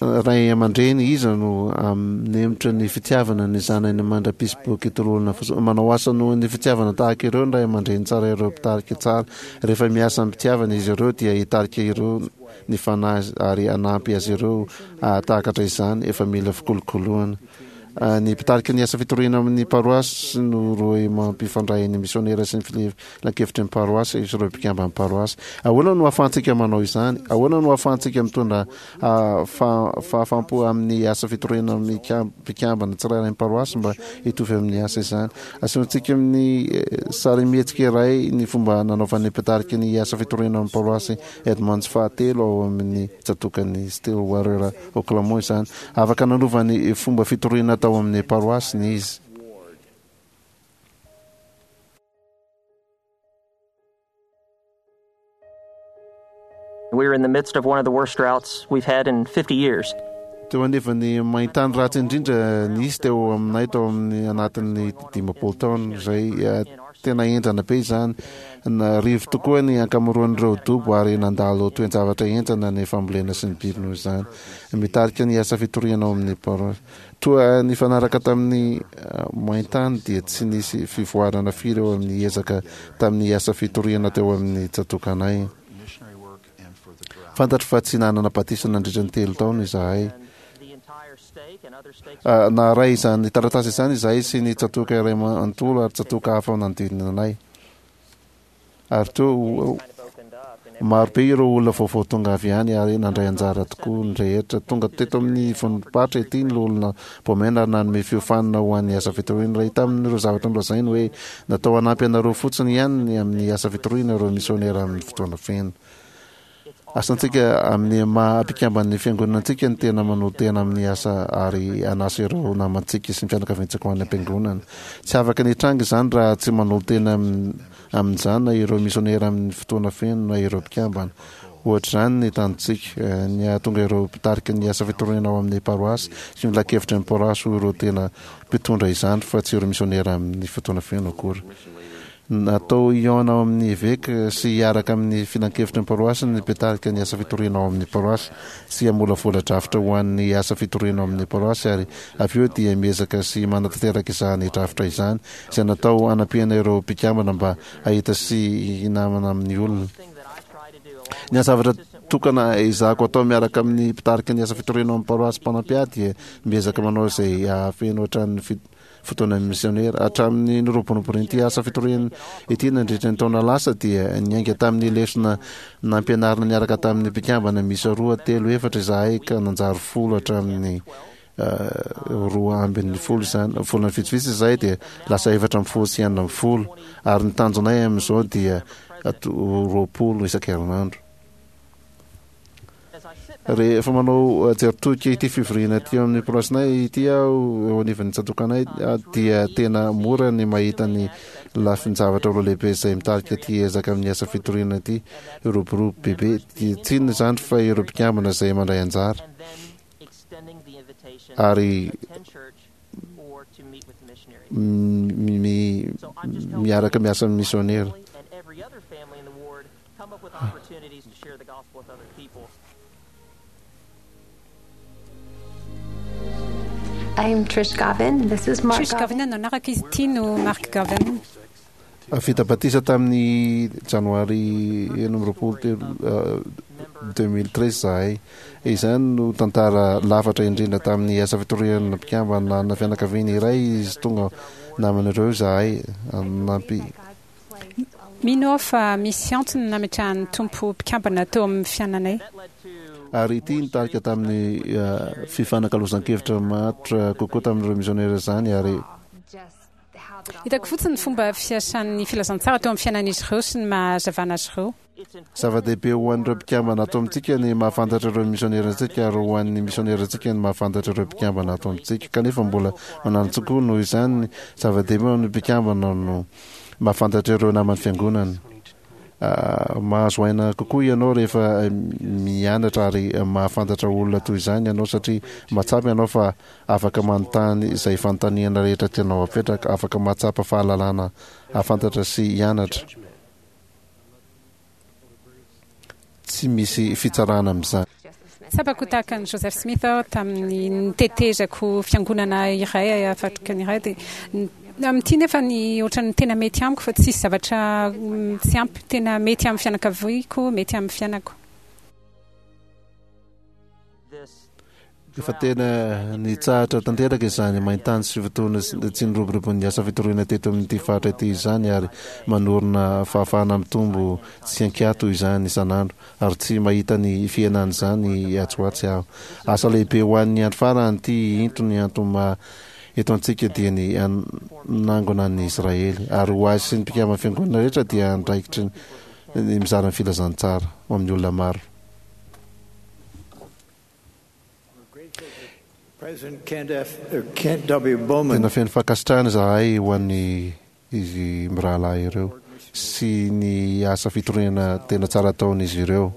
Ray aman-dreny iza no hanemotra ny fitiavana ny zanany mandra-pisy boky tolorana fotsiny? Manao asa noho ny fitiavana tahaka ireo ny ray aman-dreny tsara ireo mpitarika tsara. Rehefa miasa amim-pitiavana izy ireo dia hitarika ireo ny fanahy ary hanampy azy ireo hahatakatra izany efa mila fikolokoloana. Ny mpitarika ny asa fitoriana amin'ny paroasy no rohy mampifandray ny misionera sy ny filankevitry ny paroasy sy ireo mpikamban'ny paroasy. Ahoana no ahafahantsika manao izany? Ahoana no ahafahantsika mitondra fahafaham-po amin'ny asa fitoriana amin'ny mpikambana tsirairay ny paroasy mba hitovy amin'ny asa izany? Asehontsika amin'ny sarimihetsika iray ny fomba nanaovan'ny mpitarika ny asa fitoriana amin'ny paroasy Edmonds fahatelo ao amin'ny tsatòkan'i Stillwater, Oklahoma izany. Afaka nanova ny fomba fitoriana tao amin'ny paroasiny izy. We are in the midst of one of the worst droughts we've had in 50 years. Teo anivon'ny maintany ratsy indrindra nisy teo aminay tao amin'ny anatin'ny 50 taona izay tena henjana be izany. Narivo tokoa ny ankamaroan'ireo dobo ary nandalo toe-javatra henjana ny fambolena sy ny biby noho izany. Mitarika ny asa fitoriana ao amin'ny paroasy. Toa nifanaraka tamin'ny maintany dia tsy nisy fivoarana firy eo amin'ny ezaka tamin'ny asa fitoriana teo amin'ny tsatòkanay. Fantatro fa tsy nanana batisa nandritra ny telo taona izahay. Naharay izany taratasy izany izahay sy ny tsatòka iray manontolo ary tsatòka hafa nanodidina anay. Ary teo, maro be ireo olona vaovao tonga avy any ary nandray anjara tokoa ny rehetra. Tonga teto amin'ny vondrom-paritra ity ny Loholona Bowman ary nanome fiofanana ho an'ny asa fitoriana. Iray tamin'ireo zavatra nolazainy hoe, Natao hanampy anareo fotsiny ihany ny amin'ny asa fitoriana ireo misionera amin'ny fotoana feno. Asantsika amin'ny maha mpikamban'ny Fiangonana antsika ny tena manolo-tena amin'ny asa ary hanasa ireo namantsika sy ny fianakaviantsika ho any am-piangonana. Tsy afaka ny hitranga izany raha tsy manolo-tena amin'izany na ireo misionera amin'ny fotoana feno na ireo mpikambana. Ohatr'izany ny tanjontsika, ny hahatonga ireo mpitarika ny asa fitoriana ao amin'ny paroasy sy ny filankevitry ny paroasy ho ireo tena mpitondra izany fa tsy ireo misionera amin'ny fotoana feno akory. Natao hihaona ao amin'ny eveka sy hiaraka amin'ny filankevitry ny paroasy ny mpitarika ny asa fitoriana ao amin'ny paroasy sy hamolavola drafitra ho an'ny asa fitoriana ao amin'ny paroasy ary avy eo dia miezaka sy manatanteraka izany drafitra izany izay natao hanampiana ireo mpikambana mba hahita sy hinamana amin'ny olona. Ny zavatra tokana ezahako atao miaraka amin'ny mpitarika ny asa fitoriana ao amin'ny paroasy mpanampy ahy dia miezaka manao izay hahafeno hatrany ny fotoana misionera. Hatramin'ny niroboroboan'ity asa fitoriana ity nandritra ny taona lasa dia niainga tamin'ny lesona nampianarina niaraka tamin'ny mpikambana miisa roa, telo, efatra izahay ka nanjary folo hatramin'ny 12 izany. Volana vitsivitsy izay dia lasa 14 sy 16 ary ny tanjonay amin'izao dia 20 isan-kerinandro. Rehefa manao jery todika ity fivoriana aty amin'ny paroasinay ity aho eo anivon'ny tsatòkanay dia tena mora ny mahita ny lafin-javatra roa lehibe izay mitarika ity ezaka amin'ny asa fitoriana ity hiroborobo bebe. Tsy inona izany fa ireo mpikambana izay mandray anjara ary miaraka miasa amin'ny misionera. I'm Trish Gavin. This is Mark Trish Gavin no anarako, izy ity no Mark Gavin. Vita batisa tamin'ny janoary 26 2013 izahay. Izany no tantara lafatra indrindra tamin'ny asa fitoriana mpikambana na fianakaviana iray izy tonga naman'ireo izahay. Nampi Mino aho fa misy antony nametrahan'ny Tompo mpikambana teo amin'ny fiainanay. Ary ity nitarika tamin'ny fifanakalozan-kevitra matotra kokoa tamin'ireo misionera izany ary. Hitako fotsiny ny fomba fiasan'ny filazantsara teo amin'ny fiainan'izy ireo sy ny maha hazavana azy ireo. Zava-dehibe ho an'ireo mpikambana ato amintsika ny mahafantatra ireo misionerantsika ary ho an'ny misionerantsika ny mahafantatra ireo mpikambana ato amintsika. Kanefa mbola mananjo koa noho izany, zava-dehibe ho an'ny mpikambana no mahafantatra ireo naman'ny fiangonana. Mahazo aina kokoa ianao rehefa mianatra ary mahafantatra olona toy izany ianao satria mahatsapa ianao fa afaka manontany izay fanontaniana rehetra tianao hapetraka, afaka mahatsapa fahalalana hahafantatra sy hianatra. Tsy misy fitsarana amin'izany. Tsapako tahaka an'i Joseph Smith aho tamin'ny nitetezako fiangonana iray afrikana iray dia amin'ity nefa ny ohatran'ny tena mety amiko fa tsisy zavatra tsy ampy tena mety amin'ny fianakaviako, mety amin'ny fiainako. Efa tena nitsahatra tanteraka izany maintany sy fotoana tsy niroboroboan'ny asa fitoriana teto amin'ity faritra ity izany ary manorina fahafahana mitombo tsy an-kiato izany isan'andro ary tsy mahita ny fihenan'izany atsy ho atsy aho. Asa lehibe ho an'ny andro farany ity into ny antony maha eto antsika dia ny hanangona an'i Israely ary ho ahy sy ny mpikamban'ny fiangonana rehetra dia andraikitry ny mizara ny filazantsara ho amin'ny olona maro. Tena feno fankasitrahana izahay ho an'ny izy mirahalahy ireo sy ny asa fitoriana tena tsara ataon'izy ireo.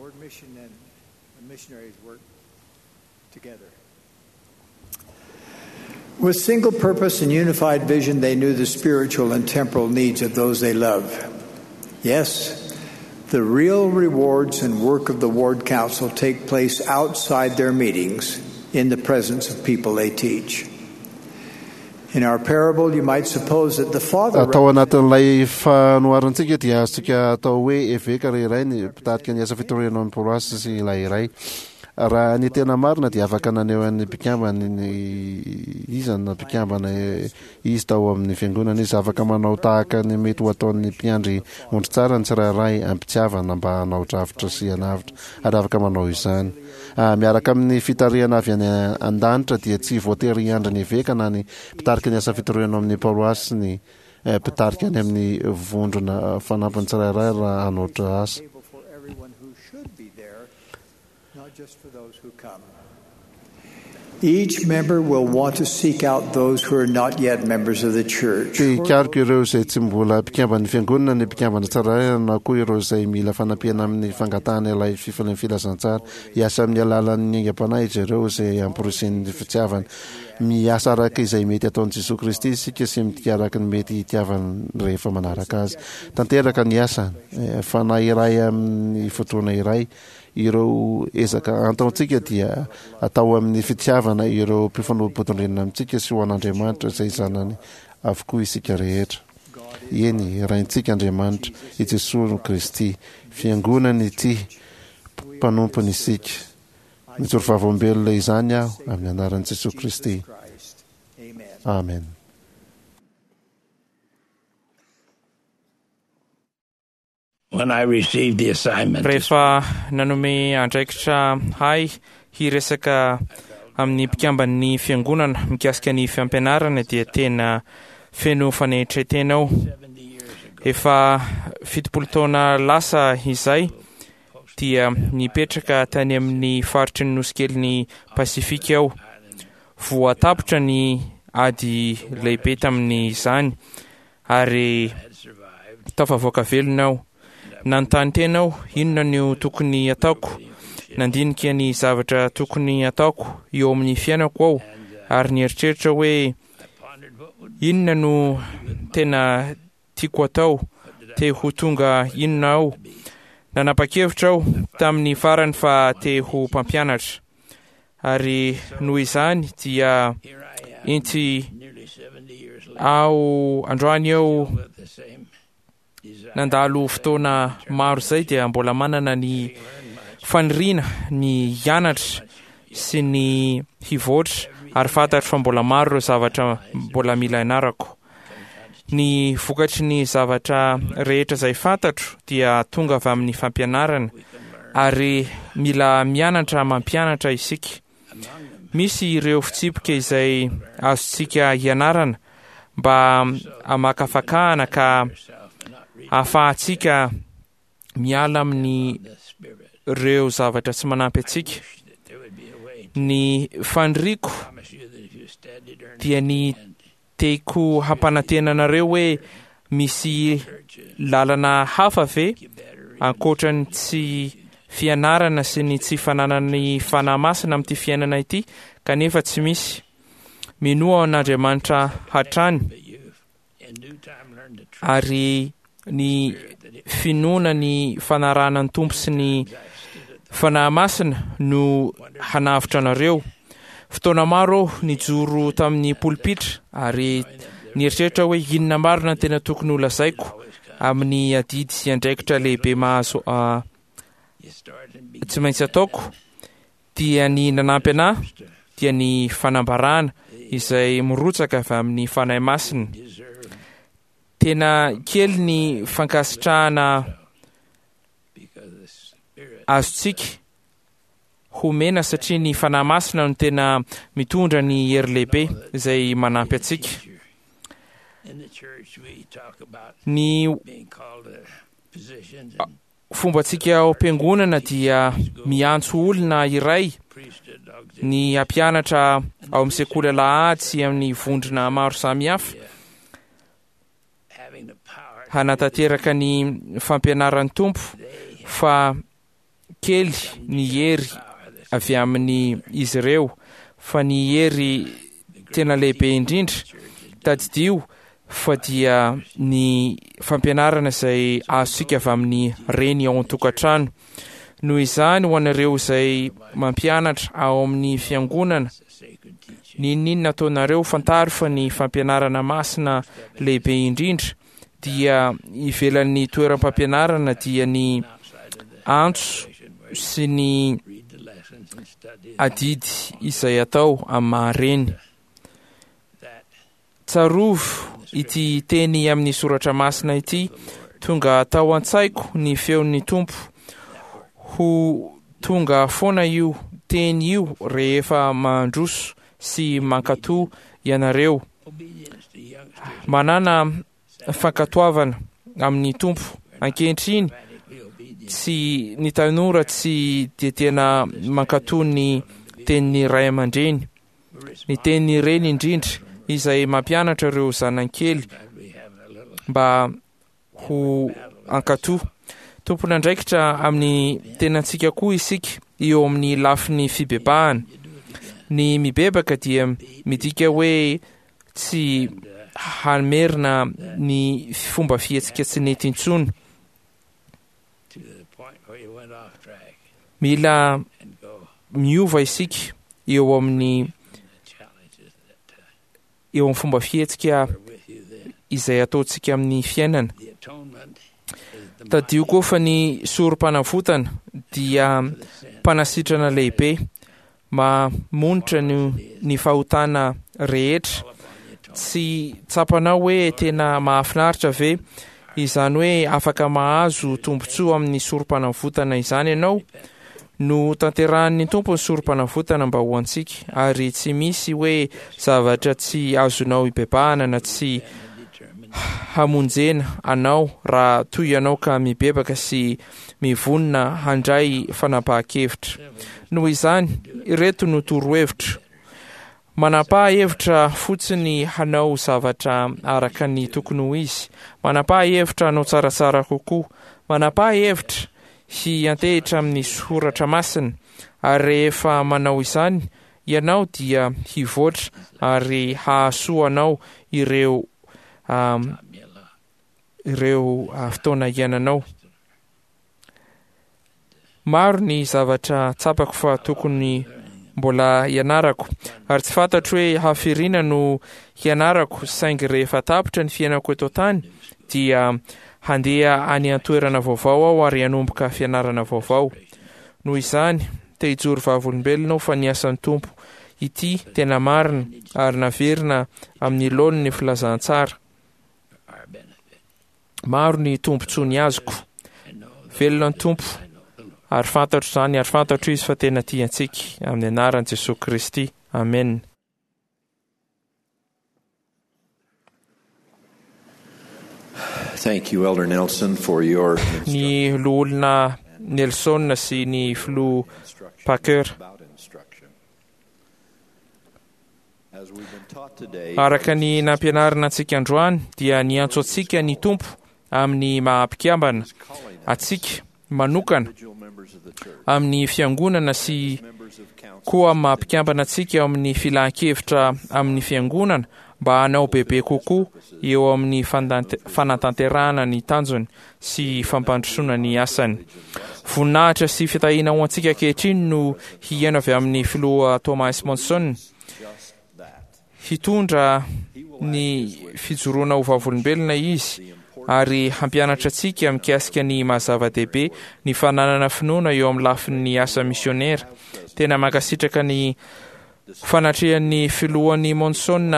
With single purpose and unified vision, they knew the spiritual and temporal needs of those they love. Yes, the real rewards and work of the ward council take place outside their meetings in the presence of people they teach. In our parable, you might suppose that the father. Tao anatin'ilay fanoharantsika dia azontsika atao hoe eveka ry iray ny mpitarika ny asa fitoriana ao amin'ny paroasy sy ilay iray. Raha ny tena marina dia afaka naneho an'ny mpikambana ny iza na mpikambana izy tao amin'ny fiangonana izy. Afaka manao tahaka ny mety ho ataon'ny mpiandry ondry tsara ny tsirairay am-pitiavana mba hanao drafitra sy hanavotra ary afaka manao izany. Miaraka amin'ny fitarihana avy any an-danitra dia tsy voatery hiandry ny eveka na ny mpitarika ny asa fitoriana ao amin'ny paroasy ny mpitarika any amin'ny vondrona fanampiny tsirairay raha hanao asa. Each member will want to seek out those who are not yet members of the church. Te hikaroka ireo izay tsy mbola mpikamban'ny fiangonana ny mpikambana tsirairay na koa ireo izay mila fanampiana amin'ny fangatahana ilay fifalian'ny filazantsara. Hiasa amin'ny alalan'ny aingam-panahy izy ireo izay amporisihin'ny fitiavana. Miasa araka izay mety ataon'i Jesoa Kristy isika sy mitia araka ny mety hitiavany rehefa manaraka Azy. Tanteraka ny asany. Fanahy iray amin'ny fotoana iray. Ireo ezaka antaontsika dia atao amin'ny fitiavana ireo mpifanolo-bodirindrina amintsika sy ho an'Andriamanitra izay zanany avokoa isika rehetra. Eny, Raintsika Andriamanitra, i Jesoa Kristy, Fiangonany ity, mpanompony isika. Mijoro vavolombelona izany aho amin'ny anaran'i Jesoa Kristy. Amen. When I received the assignment to Rehefa nanome andraikitra ahy hiresaka amin'ny mpikamban'ny fiangonana mikasika ny fampianarana dia tena feno fanetren-tena aho. Efa 70 taona lasa izay dia nipetraka tany amin'ny faritry ny nosikelin'i Pasifika aho. Voatapitra ny ady lehibe tamin'izany ary tafavoaka velona aho. Nanontany tena aho, inona no tokony hataoko? Nandinika ny zavatra tokony hataoko eo amin'ny fiainako aho ary nieritreritra hoe inona no tena tiako atao, te ho tonga inona aho? Nanapa-kevitra aho tamin'ny farany fa te ho mpampianatra. Ary noho izany dia inty aho androany eo nandalo fotoana maro izay dia mbola manana ny faniriana ny hianatra sy ny hivoatra ary fantatro fa mbola maro ireo zavatra mbola mila ianarako. Ny vokatry ny zavatra rehetra izay fantatro dia tonga avy amin'ny fampianarana ary mila mianatra mampianatra isika. Misy ireo fitsipika izay azontsika ianarana mba hamakafakahana ka ahafahantsika miala amin'ny ireo zavatra tsy manampy antsika. Ny faniriako dia ny Tiako hampanantena anareo hoe misy lalana hafa ve ankoatra ny tsy fianarana sy ny tsy fananana ny Fanahy Masina amin'ity fiainana ity kanefa tsy misy. Minoa an'Andriamanitra hatrany ary ny finoana ny fanarahana ny Tompo sy ny Fanahy Masina no hanavotra anareo. Fotoana maro aho nijoro tamin'ny polipitra ary nieritreritra hoe inona marina ny tena tokony ho lazaiko amin'ny adidy sy andraikitra lehibe mahazo tsy maintsy ataoko dia ny nanampy anah dia ny fanambarana izay mirotsaka avy amin'ny Fanahy Masina. Tena kely ny fankasitrahana azontsika homena satria ny Fanahy Masina no tena mitondra ny hery lehibe izay manampy antsika. Ny fombantsika ao am-piangonana dia miantso olona iray ny hampianatra ao amin'ny sekoly alahady sy amin'ny vondrona maro samihafa hanatanteraka ny fampianaran'ny Tompo fa kely ny hery avy amin'ny izy ireo fa ny hery tena lehibe indrindra tadidio fa dia ny fampianarana izay azontsika avy amin'ny reny ao an-tokantrano. Noho izany, ho anareo izay mampianatra ao amin'ny fiangonana, n'inon'inona ataonareo, fantaro fa ny fampianarana masina lehibe indrindra dia ivelan'ny toeram-pampianarana dia ny antso sy ny adidy izay atao amin'ny maha-reny. Tsarovy ity teny amin'ny soratra masina ity, Tonga tao an-tsaiko ny feon'ny Tompo. Ho tonga foana io teny io rehefa mandroso sy mankatò ianareo. Manàna fankatoavana amin'ny Tompo. Ankehitriny, tsy ny tanora tsy dia tena mankatò ny tenin'ny ray aman-dreny. Ny tenin'ny reny indrindra izay mampianatra ireo zanany kely mba ho hankatò. Tompon'andraikitra amin'ny tenantsika koa isika eo amin'ny lafiny fibebahana. Ny mibebaka dia midika hoe tsy hamerina ny fomba fihetsika tsy nety intsony. Mila miova isika eo amin'ny eo amin'ny fomba fihetsika izay ataontsika amin'ny fiainana. Tadidio koa fa ny sorom-panavotana dia mpanasitrana lehibe mamonitra ny ny fahotana rehetra. Tsy tsapanao hoe tena mahafinaritra ve Izany hoe afaka mahazo tombontsoa amin'ny sorom-panavotana izany ianao. Notanterahin'ny Tompo ny sorom-panavotana mba ho antsika, ary tsy misy hoe zavatra tsy azonao ibebahana na tsy hamonjena anao raha toa ianao ka mibebaka sy mivonona handray fanapahan-kevitra. Noho izany, ireto no torohevitro. Manapaha hevitra fotsiny hanao zavatra araka ny tokony ho izy. Manapaha hevitra hanao tsaratsara kokoa. Manapaha hevitra hiantehitra amin'ny soratra masina. Ary rehefa manao izany ianao dia hivoatra ary hahasoa anao ireo ireo fotoana iainanao. Maro ny zavatra tsapako fa tokony mbola hianarako, ary tsy fantatro hoe hafiriana no hianarako, saingy rehefa tapitra ny fiainako eto an-tany dia handeha any an-toerana vaovao aho ary hanomboka fianarana vaovao. Noho izany, te hijoro vavolombelona aho fa ny asan'ny Tompo ity tena marina ary naverina amin'ny laoniny ny filazantsara. Maro ny tombontsoa ny azoko. Velona ny Tompo, ary fantatro izany, ary fantatro Izy fa tena tia antsika. Amin'ny anaran'i Jesoa Kristy. Amena. Thank you, Elder Nelson, for your Ny Loholona Nelson sy ny Filoha Packer. Araka ny nampianarina antsika androany dia niantso antsika ny Tompo amin'ny maha-mpikambana antsika manokana amin'ny fiangonana sy koa amin'ny maha-mpikambana antsika ao amin'ny filan-kevitra amin'ny fiangonana mba hanao bebe kokoa eo amin'ny fanatanterahana ny tanjony sy fampandrosoana ny asany. Voninahitra sy fitahiana ho antsika ankehitriny no hihaino avy amin'ny Filoha Thomas Monson. Hitondra ny fijoroana ho vavolombelona izy ary hampianatra antsika mikasika ny maha-zava-dehibe ny fananana finoana eo amin'ny lafin'ny asa misionera. Tena mankasitraka ny fanatrehan'ny Filohan'i Monson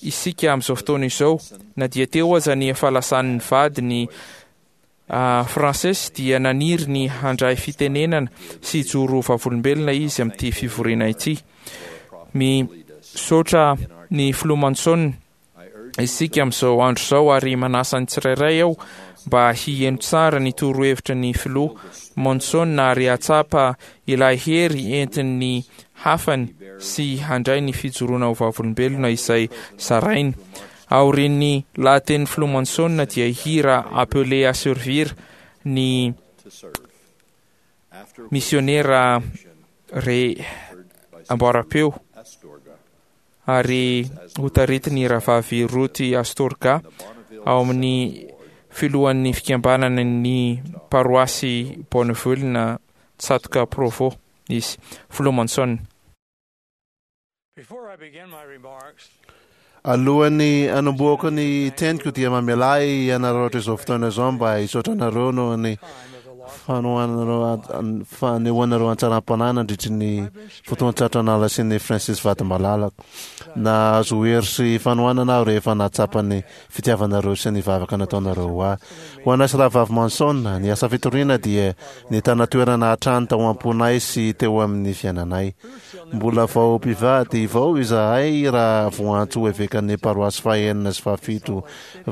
isika amin'izao fotoana izao. Na dia teo aza ny fahalasan'ny vadiny Frances dia naniry ny handray fitenenana sy hijoro vavolombelona izy amin'ity fivoriana ity. Misaotra ny Filoha Monson isika amin'izao andro izao ary manasa ny tsirairay aho mba hiheno tsara ny torohevitra ny Filoha Monson ary hahatsapa ilay hery entin'ny hafany sy handray ny fijoroana ho vavolombelona izay zarainy. Aorian'ny lahatenin'ny Filoha Monson dia hihira Appelé à servir ny misionera re amboaram-peo ary hotaritin'ny Rahavavy Ruth Astorga ao amin'ny filohan'ny fikambanana ny paroasy Bonneville na Tsatoka Provo izy. Filoha Monson. Alohan'ny hanombohako ny teniko dia mamelà ahy hanararaotra izao fotoana izao mba hisaotra anareo noho ny fanohananareo fanehoanareo an-tsaram-panahy nandritry ny fotoan-tsarotra nalasian'i Francis vady malalako. Nahazo hery sy fanohanana aho rehefa nahatsapa ny fitiavanareo sy ny vavaka nataonareo ho ahy. Ho anay sy Rahavavy Manson, ny asa fitoriana dia nitana toerana hatrany tao am-ponay sy teo amin'ny fiainanay. Mbola vao mpivady vao izahay raha voantso ho evekan'ny paroasy fahenina sy fahafito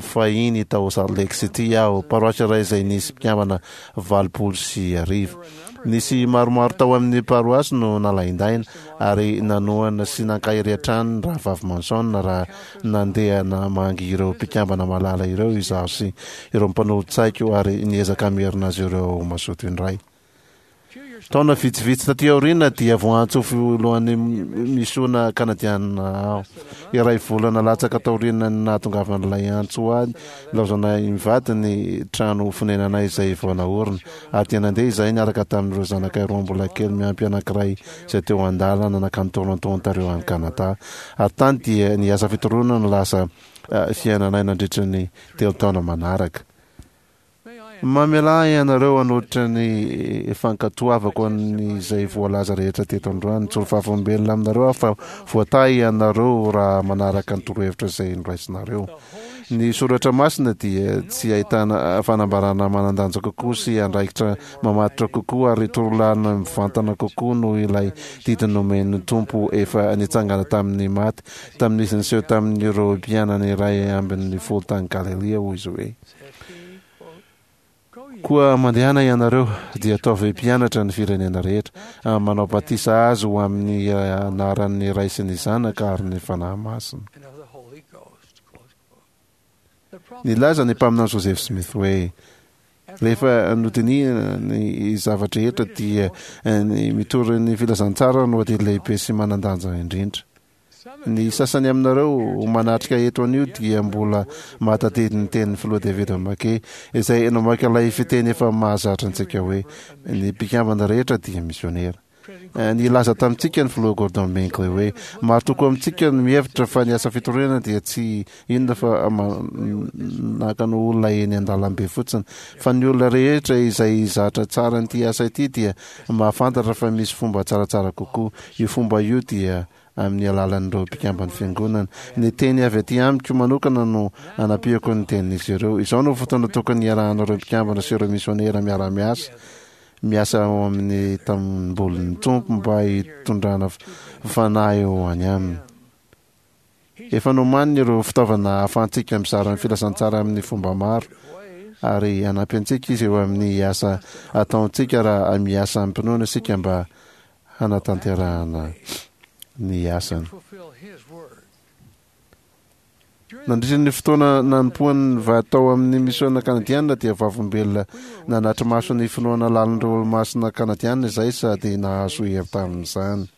fahiny tao Salt Lake City aho, paroasy iray izay nisy mpikambana 1080. Nisy maromaro tao amin'ny paroasy no nalaindaina ary nanohana sy nankahery hatrany ny Rahavavy Manson raha Nandeha namangy ireo mpikambana malala ireo izaho sy ireo mpanolo-tsaiko ary niezaka hamerina azy ireo ho mazoto indray. Taona vitsivitsy taty aoriana dia voantso ho filohan'ny misiona kanadiana aho. Iray volana latsaka taorian'ny nahatongavan'ilay antso ho ahy, nilaozanay mivady ny trano fonenanay izay vao naorina, ary dia nandeha izahay niaraka tamin'ireo zanakay roa mbola kely miampy anankiray izay teo an-dalana nankany Toronto, Ontario any Canada. Ary tany dia ny asa fitoriana no lasa fiainanay nandritra ny telo taona manaraka. Mamelà ahy ianareo hanolotra ny fankatoavako an'izay voalaza rehetra teto androany. Mijoro vavolombelona aminareo aho fa voatahy ianareo raha manaraka ny torohevitra izay noraisinareo. Ny soratra masina dia tsy ahitana fanambarana manan-danja kokoa sy andraikitra mamatotra kokoa ary torolalana mivantana kokoa noho ilay didy nomen'ny Tompo efa nitsangana tamin'ny maty tamin'izy niseho tamin'ireo mpianany 11 tany Galilia, hoy izy hoe. Koa mandehana ianareo, dia ataovy mpianatra ny firenena rehetra, manao batisa azy ho amin'ny anaran'ny Ray sy ny Zanaka ary ny Fanahy Masina. Nilaza ny mpaminany Joseph Smith hoe, Rehefa nodinihina ny zava-drehetra dia ny mitory ny filazantsara no adidy lehibe sy manan-danja indrindra. Ny sasany aminareo manatrika eto anio dia mbola mahatadidy ny tenin'ny Filoha David McKay, izay namaky ilay fiteny efa mahazatra antsika hoe, Ny mpikambana rehetra dia misionera. Nilaza tamintsika ny Filoha Gordon Binkley hoe, Maro tokoa amintsika no mihevitra fa ny asa fitoriana dia tsy inona fa manakana olona eny an-dalambe fotsiny. Fa ny olona rehetra izay zatra tsara an'ity asa ity dia mahafantatra fa misy fomba tsaratsara kokoa. Io fomba io dia amin'ny alalan'ireo mpikamban'ny Fiangonana. Ny teny avy aty amiko manokana no anampiako ny tenin'izy ireo. Izao no fotoana tokony hiarahan'ireo mpikambana sy ireo misionera miara-miasa, miasa ao amin'ny tanimbolin'ny Tompo mba hitondrana fanahy ho any Aminy. Efa nomaniny ireo fitaovana ahafahantsika mizara ny filazantsara amin'ny fomba maro, ary hanampy antsika Izy eo amin'ny asa ataontsika raha miasa amim-pinoana isika mba hanatanterahana ny asany. Nandritra ny fotoana nanompoany vady tao amin'ny misiona kanadiana dia vavolombelona nanatri-maso ny finoana lalin'ireo Olomasina kanadiana izahay sady nahazo hery tamin'izany.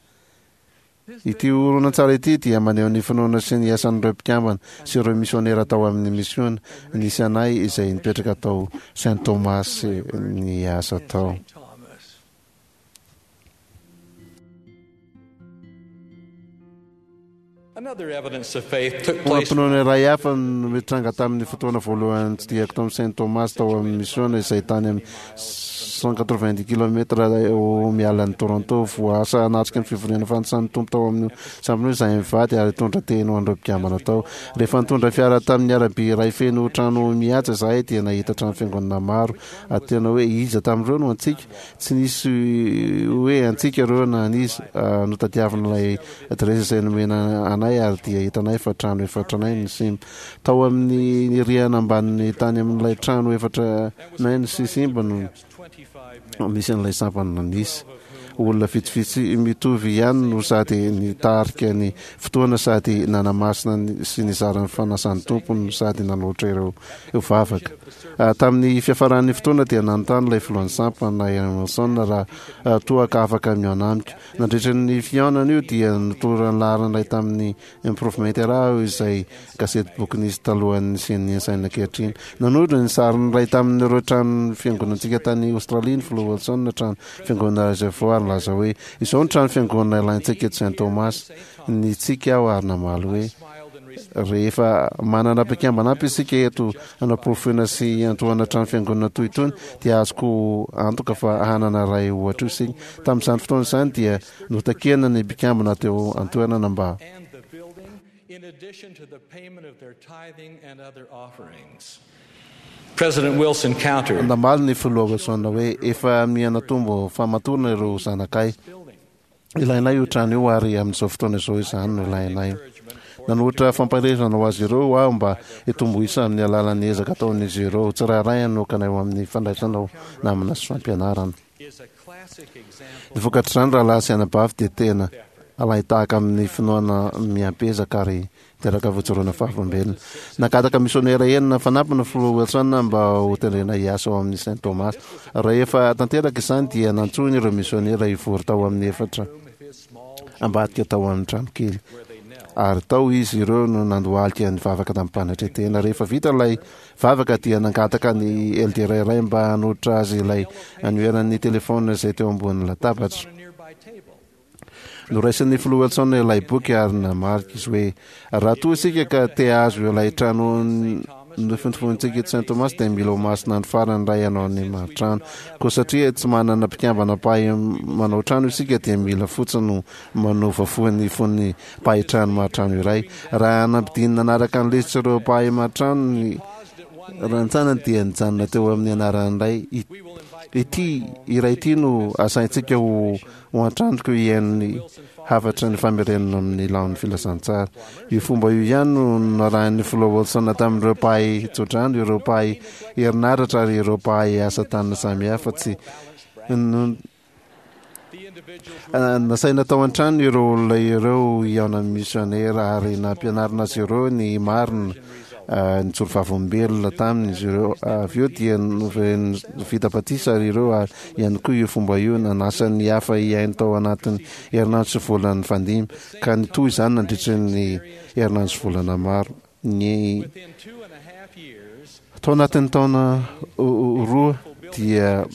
Ity horonantsary ity dia maneho ny finoana sy ny asan'ireo mpikambana sy ireo misionera tao amin'ny misiona nisy anay izay nipetraka tao Saint Thomas niasa tao. Finoana iray hafa no nitranga tamin'ny fotoana voalohany nitsidihako tao amin'ny Saint Thomas tao amin'ny misiona izay tany amin'ny 190 kilomètres eo miala an'i Toronto. Voaasa hanatrika ny fivoriana fanisan'ny Tompo tao amin'io sampona io izahay mivady ary hitondra teny ho an'ireo mpikambana tao. Rehefa nitondra fiara tamin'ny arabe iray feno trano mihaja izahay dia nahita trano fiangonana maro ary tena hoe iza tamin'ireo no antsika? Tsy nisy hoe antsika ireo na an'iza. Notadiavina ilay adiresy izay nomena anay ary dia hitanay fa trano efa tranainy ny simba. Tao amin'ny rihana ambanin'ny tany amin'ilay trano efa tranainy sy simba no misy an'ilay sampana nisy. Olona vitsivitsy mitovy ihany no sady nitarika ny fotoana sady nanamasina sy nizara ny fanasan'ny Tompo no sady nanolotra ireo vavaka. Tamin'ny fiafaran'ny fotoana dia nanontany ilay filohan'ny sampana, Aaron Wilson, raha toa ka afaka mihaona amiko. Nandritra ny fihaonana io dia nitoran'ny laharana iray tamin'ny Improvement Era aho izay gazetiboky nisy talohan'ny nisian'ny Ensign ankehitriny. Nanondro ny sarin'ny iray tamin'ireo trano fiangonantsika tany Aostralia ny filoha Wilson, trano fiangonana Reservoir, ary nilaza hoe, Izao no trano fiangonana ilaintsika eto Saint Thomas. Nitsiky aho ary namaly hoe, Rehefa manana mpikambana ampy isika eto hanaporofoina sy hiantohana trano fiangonana toy itony dia azoko antoka fa hanana iray ohatra io isika. Tamin'izany fotoana izany dia notakiana ny mpikambana teo an-toerana mba. Namaly ny Filoha Wilson hoe, Efa miha-natombo fahamatorana ireo zanakay. Ilainay io trano io ary amin'izao fotoana izao izany no ilainay. Nanolotra fampaherezana ho azy ireo aho mba hitombo isa amin'ny alalan'ny ezaka ataon'izy ireo tsirairay hanokana eo amin'ny fandraisana ho namana sy fampianarana. Ny vokatr'izany rahalahy sy anabavy dia tena alain-tahaka amin'ny finoana miampiezaka ary Teraka fijoroana fahavolombelona. Nangataka misionera enina fanampiny ny Filoha Wilson mba hotendrena hiasa ao amin'ny Saint Thomas. Rehefa tanteraka izany dia nantsoiny ireo misionera hivory tao amin'ny efitra ambadika tao amin'ny tranokely. Ary tao izy ireo no nandohalika nivavaka tamim-panetren-tena. Rehefa vita ilay vavaka dia nangataka ny eldera iray mba hanolotra azy ilay anoheran'ny telefaonina izay teo ambonin'ny latabatra. Noraisin'ny Filoha Wilson ilay boky ary namarika izy hoe, Raha toa isika ka te hahazo ilay trano Nofintofonintsika eto Saint Thomas dia mila ho masina andro farany iray hanao ny maritrano. Koa satria tsy manana mpikambana mpahay manao trano isika dia mila fotsiny ho manova fo ny fon'ny mpahay trano maritrano iray. Raha nampidinina nanaraka ny lisitr'ireo mpahay maritrano ny rantsanany dia nijanona teo amin'ny anaran'ny Ray. Ity iray ity no asaintsika ho ho an-tranoko hihaino ny hafatry ny famerenana amin'ny laon'ny filazantsara. Io fomba io ihany no narahin'ny Filoha Wilson tamin'ireo mpahay tsodrano, ireo mpahay herinaratra ary ireo mpahay asa tanana samihafa. Tsy nasaina tao an-trano ireo olona ireo hihaona amin'ny misionera ary nampianarina azy ireo ny marina. Nijoro vavolombelona taminy izy ireo. Avy eo dia novereniny vita batisa ary ireo ary ihany koa io fomba io nanasa ny hafa hihaino tao anatin'ny herinandro sy volana nifandimby, ka nitohy izany nandritra ny herinandro sy volana maro. Ny tao anatin'ny taona roa dia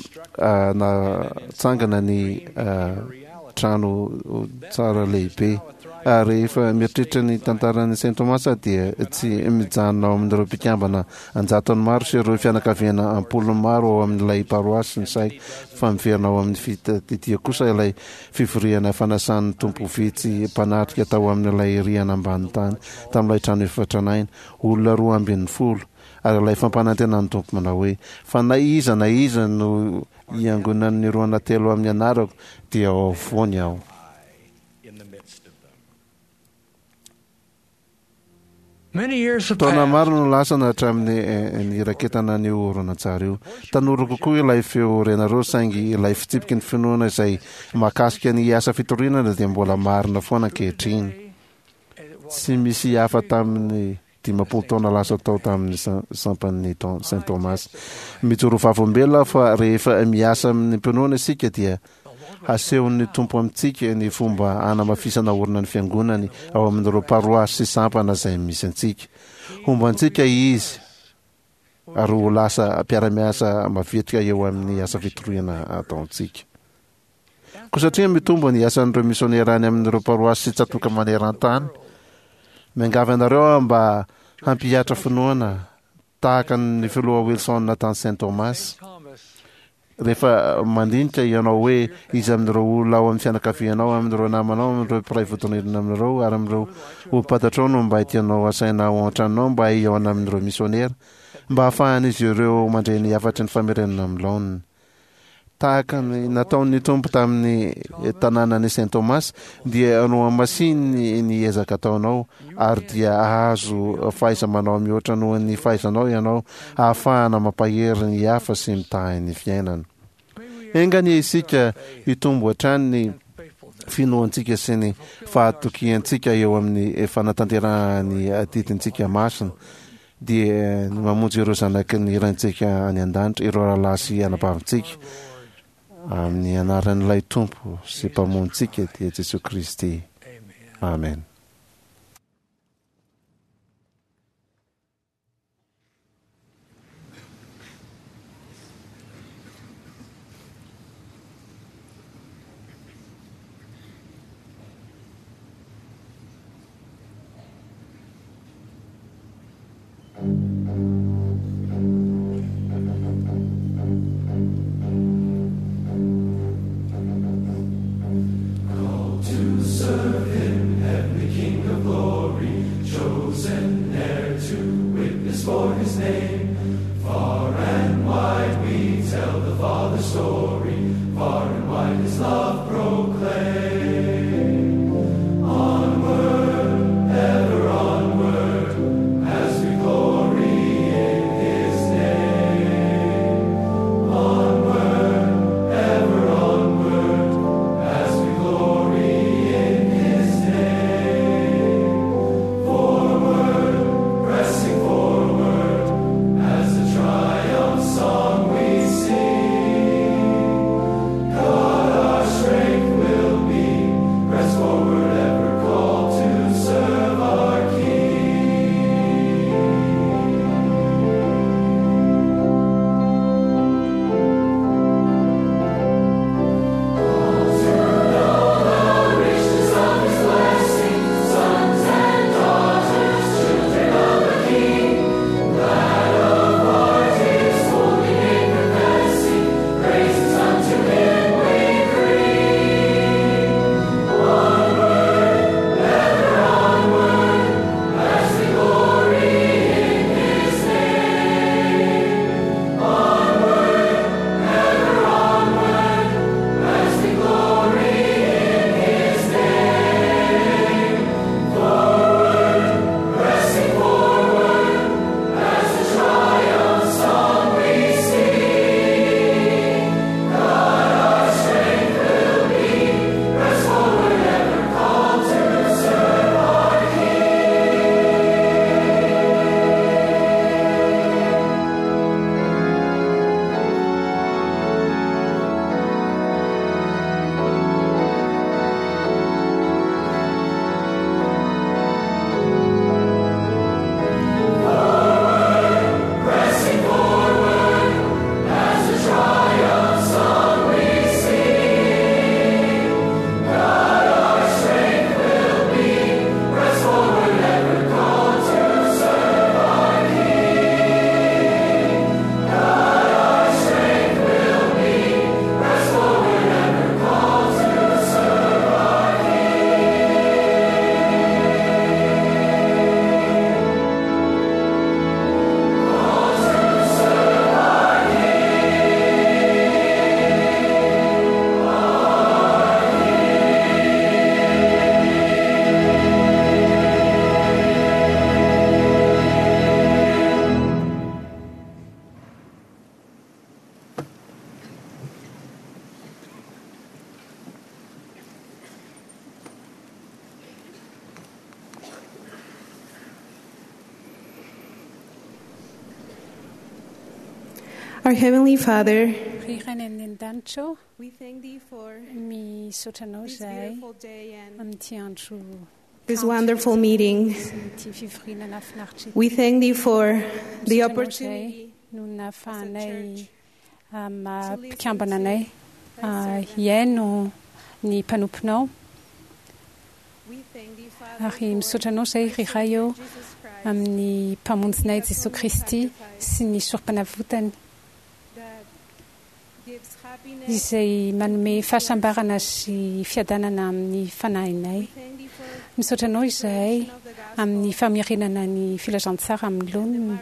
natsangana ny trano tsara lehibe. Ary rehefa mieritreritra ny tantaran'i Saint Thomas dia tsy mijanona ao amin'ireo mpikambana an-jatony maro sy ireo fianakaviana am-polony maro ao amin'ilay paroasy ny saiko fa miverina ao amin'ny fitadidia kosa ilay fivoriana fanasan'ny Tompo vitsy mpanatrika tao amin'ilay rihana ambany tany tamin'ilay trano efa tranainy, olona 12, ary ilay fampanantenan'ny Tompo manao hoe, Fa na iza na iza no hiangonan'ny roa na telo amin'ny anarako dia ao afovoany aho. Taona maro no lasana hatramin'ny niraketana an'io horonantsary io. Tanora kokoa ilay feo renareo saingy ilay fitsipiky ny finoana izay mahakasika ny asa fitoriana dia mbola marina foana ankehitriny. Tsy misy hafa tamin'ny 50 taona lasa tao tamin'ny sampan'ny Saint Thomas. Mijoro vavolombelona aho fa rehefa miasa amin'ny mpinoana isika dia hasehon'ny Tompo amintsika ny fomba hanamafisana orina ny Fiangonany ao amin'ireo paroasy sy sampana izay misy antsika. Homba antsika Izy ary ho lasa mpiara-miasa mavitrika eo amin'ny asa fitoriana ataontsika. Koa satria mitombo ny asan'ireo misionera any amin'ireo paroasy sy tsatòka maneran-tany, miangavy anareo aho mba hampihatra finoana tahaka ny Filoha Wilson tany Saint Thomas. Rehefa mandinika ianao hoe iza amin'ireo olona ao amin'ny fianakavianao, amin'ireo namanao, amin'ireo mpiray vodin'irina aminareo ary amin'ireo olom-pantatrao no mba tianao hasaina ao an-tranonao mba hihaona amin'ireo misionera, mba hahafahan'izy ireo mandre ny hafatry ny famerenana amin'ny laoniny. Tahaka ny nataon'ny Tompo tamin'ny tanànan'i Saint Thomas, dia nohamasininy ny ezaka ataonao, ary dia hahazo fahaiza-manao mihoatra noho ny fahaizanao ianao hahafahana mampahery ny hafa sy mitahy ny fiainana. Enga anie isika hitombo hatrany ny finoantsika sy ny fahatokiantsika eo amin'ny fanatanterahana ny adidintsika masina. dia ny mamonjy ireo zanaky ny Raintsika any an-danitra, ireo rahalahy sy anabavintsika, amin'ny anaran'ilay Tompo sy Mpamonjintsika, dia Jesoa Kristy. Amen. Our Heavenly Father, Ry Ray any an-danitra ô, we thank Thee for misaotra anao this izahay beautiful day and amin'ity andro this wonderful meeting. sy ity fivoriana nahafinaritra ity. We thank Thee for the Misaotra anao opportunity izahay no nahafahanay maha mpikambana anay hihaino ny mpanomponao. We thank Thee, Father, Ary misaotra anao izahay ry Ray ô amin'ny mpamonjinay Jesoa Kristy sy ny sorom-panavotany that gives happiness. izay manome fahasambarana sy fiadanana amin'ny fanahinay. Thank Thee for Misaotra anao izahay amin'ny famerenana ny filazantsara amin'ny laoniny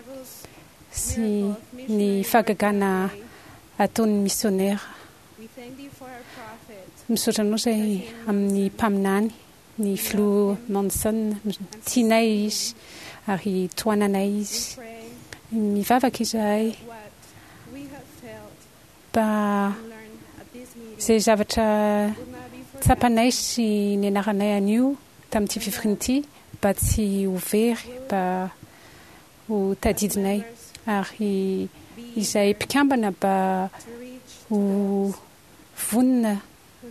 sy ny fahagagana ataon'ny misionera. We thank Thee for our prophet. Misaotra anao izahay amin'ny mpaminany, ny filoha Monson, tianay izy ary tohananay izy. Mivavaka izahay What we have felt mba and learned at this meeting izay zavatra will not be forgotten. tsapanay sy nianaranay anio tamin'ity fivoriana ity mba tsy ho very, mba ho tadidinay ary izay mpikambana mba To reach ho vonona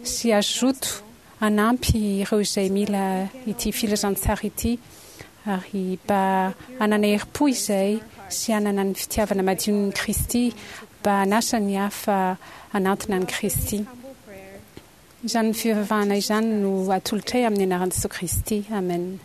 sy hazoto hanampy ireo izay mila ity filazantsara ity ary mba hanana herim-po izay sy hanana ny fitiavana madion'ny Kristy mba hanasa ny hafa hanantona an'i Kristy. humble prayer. Izany fivavahana izany no atolotray amin'ny anaran'i Jesoa Kristy. Amen.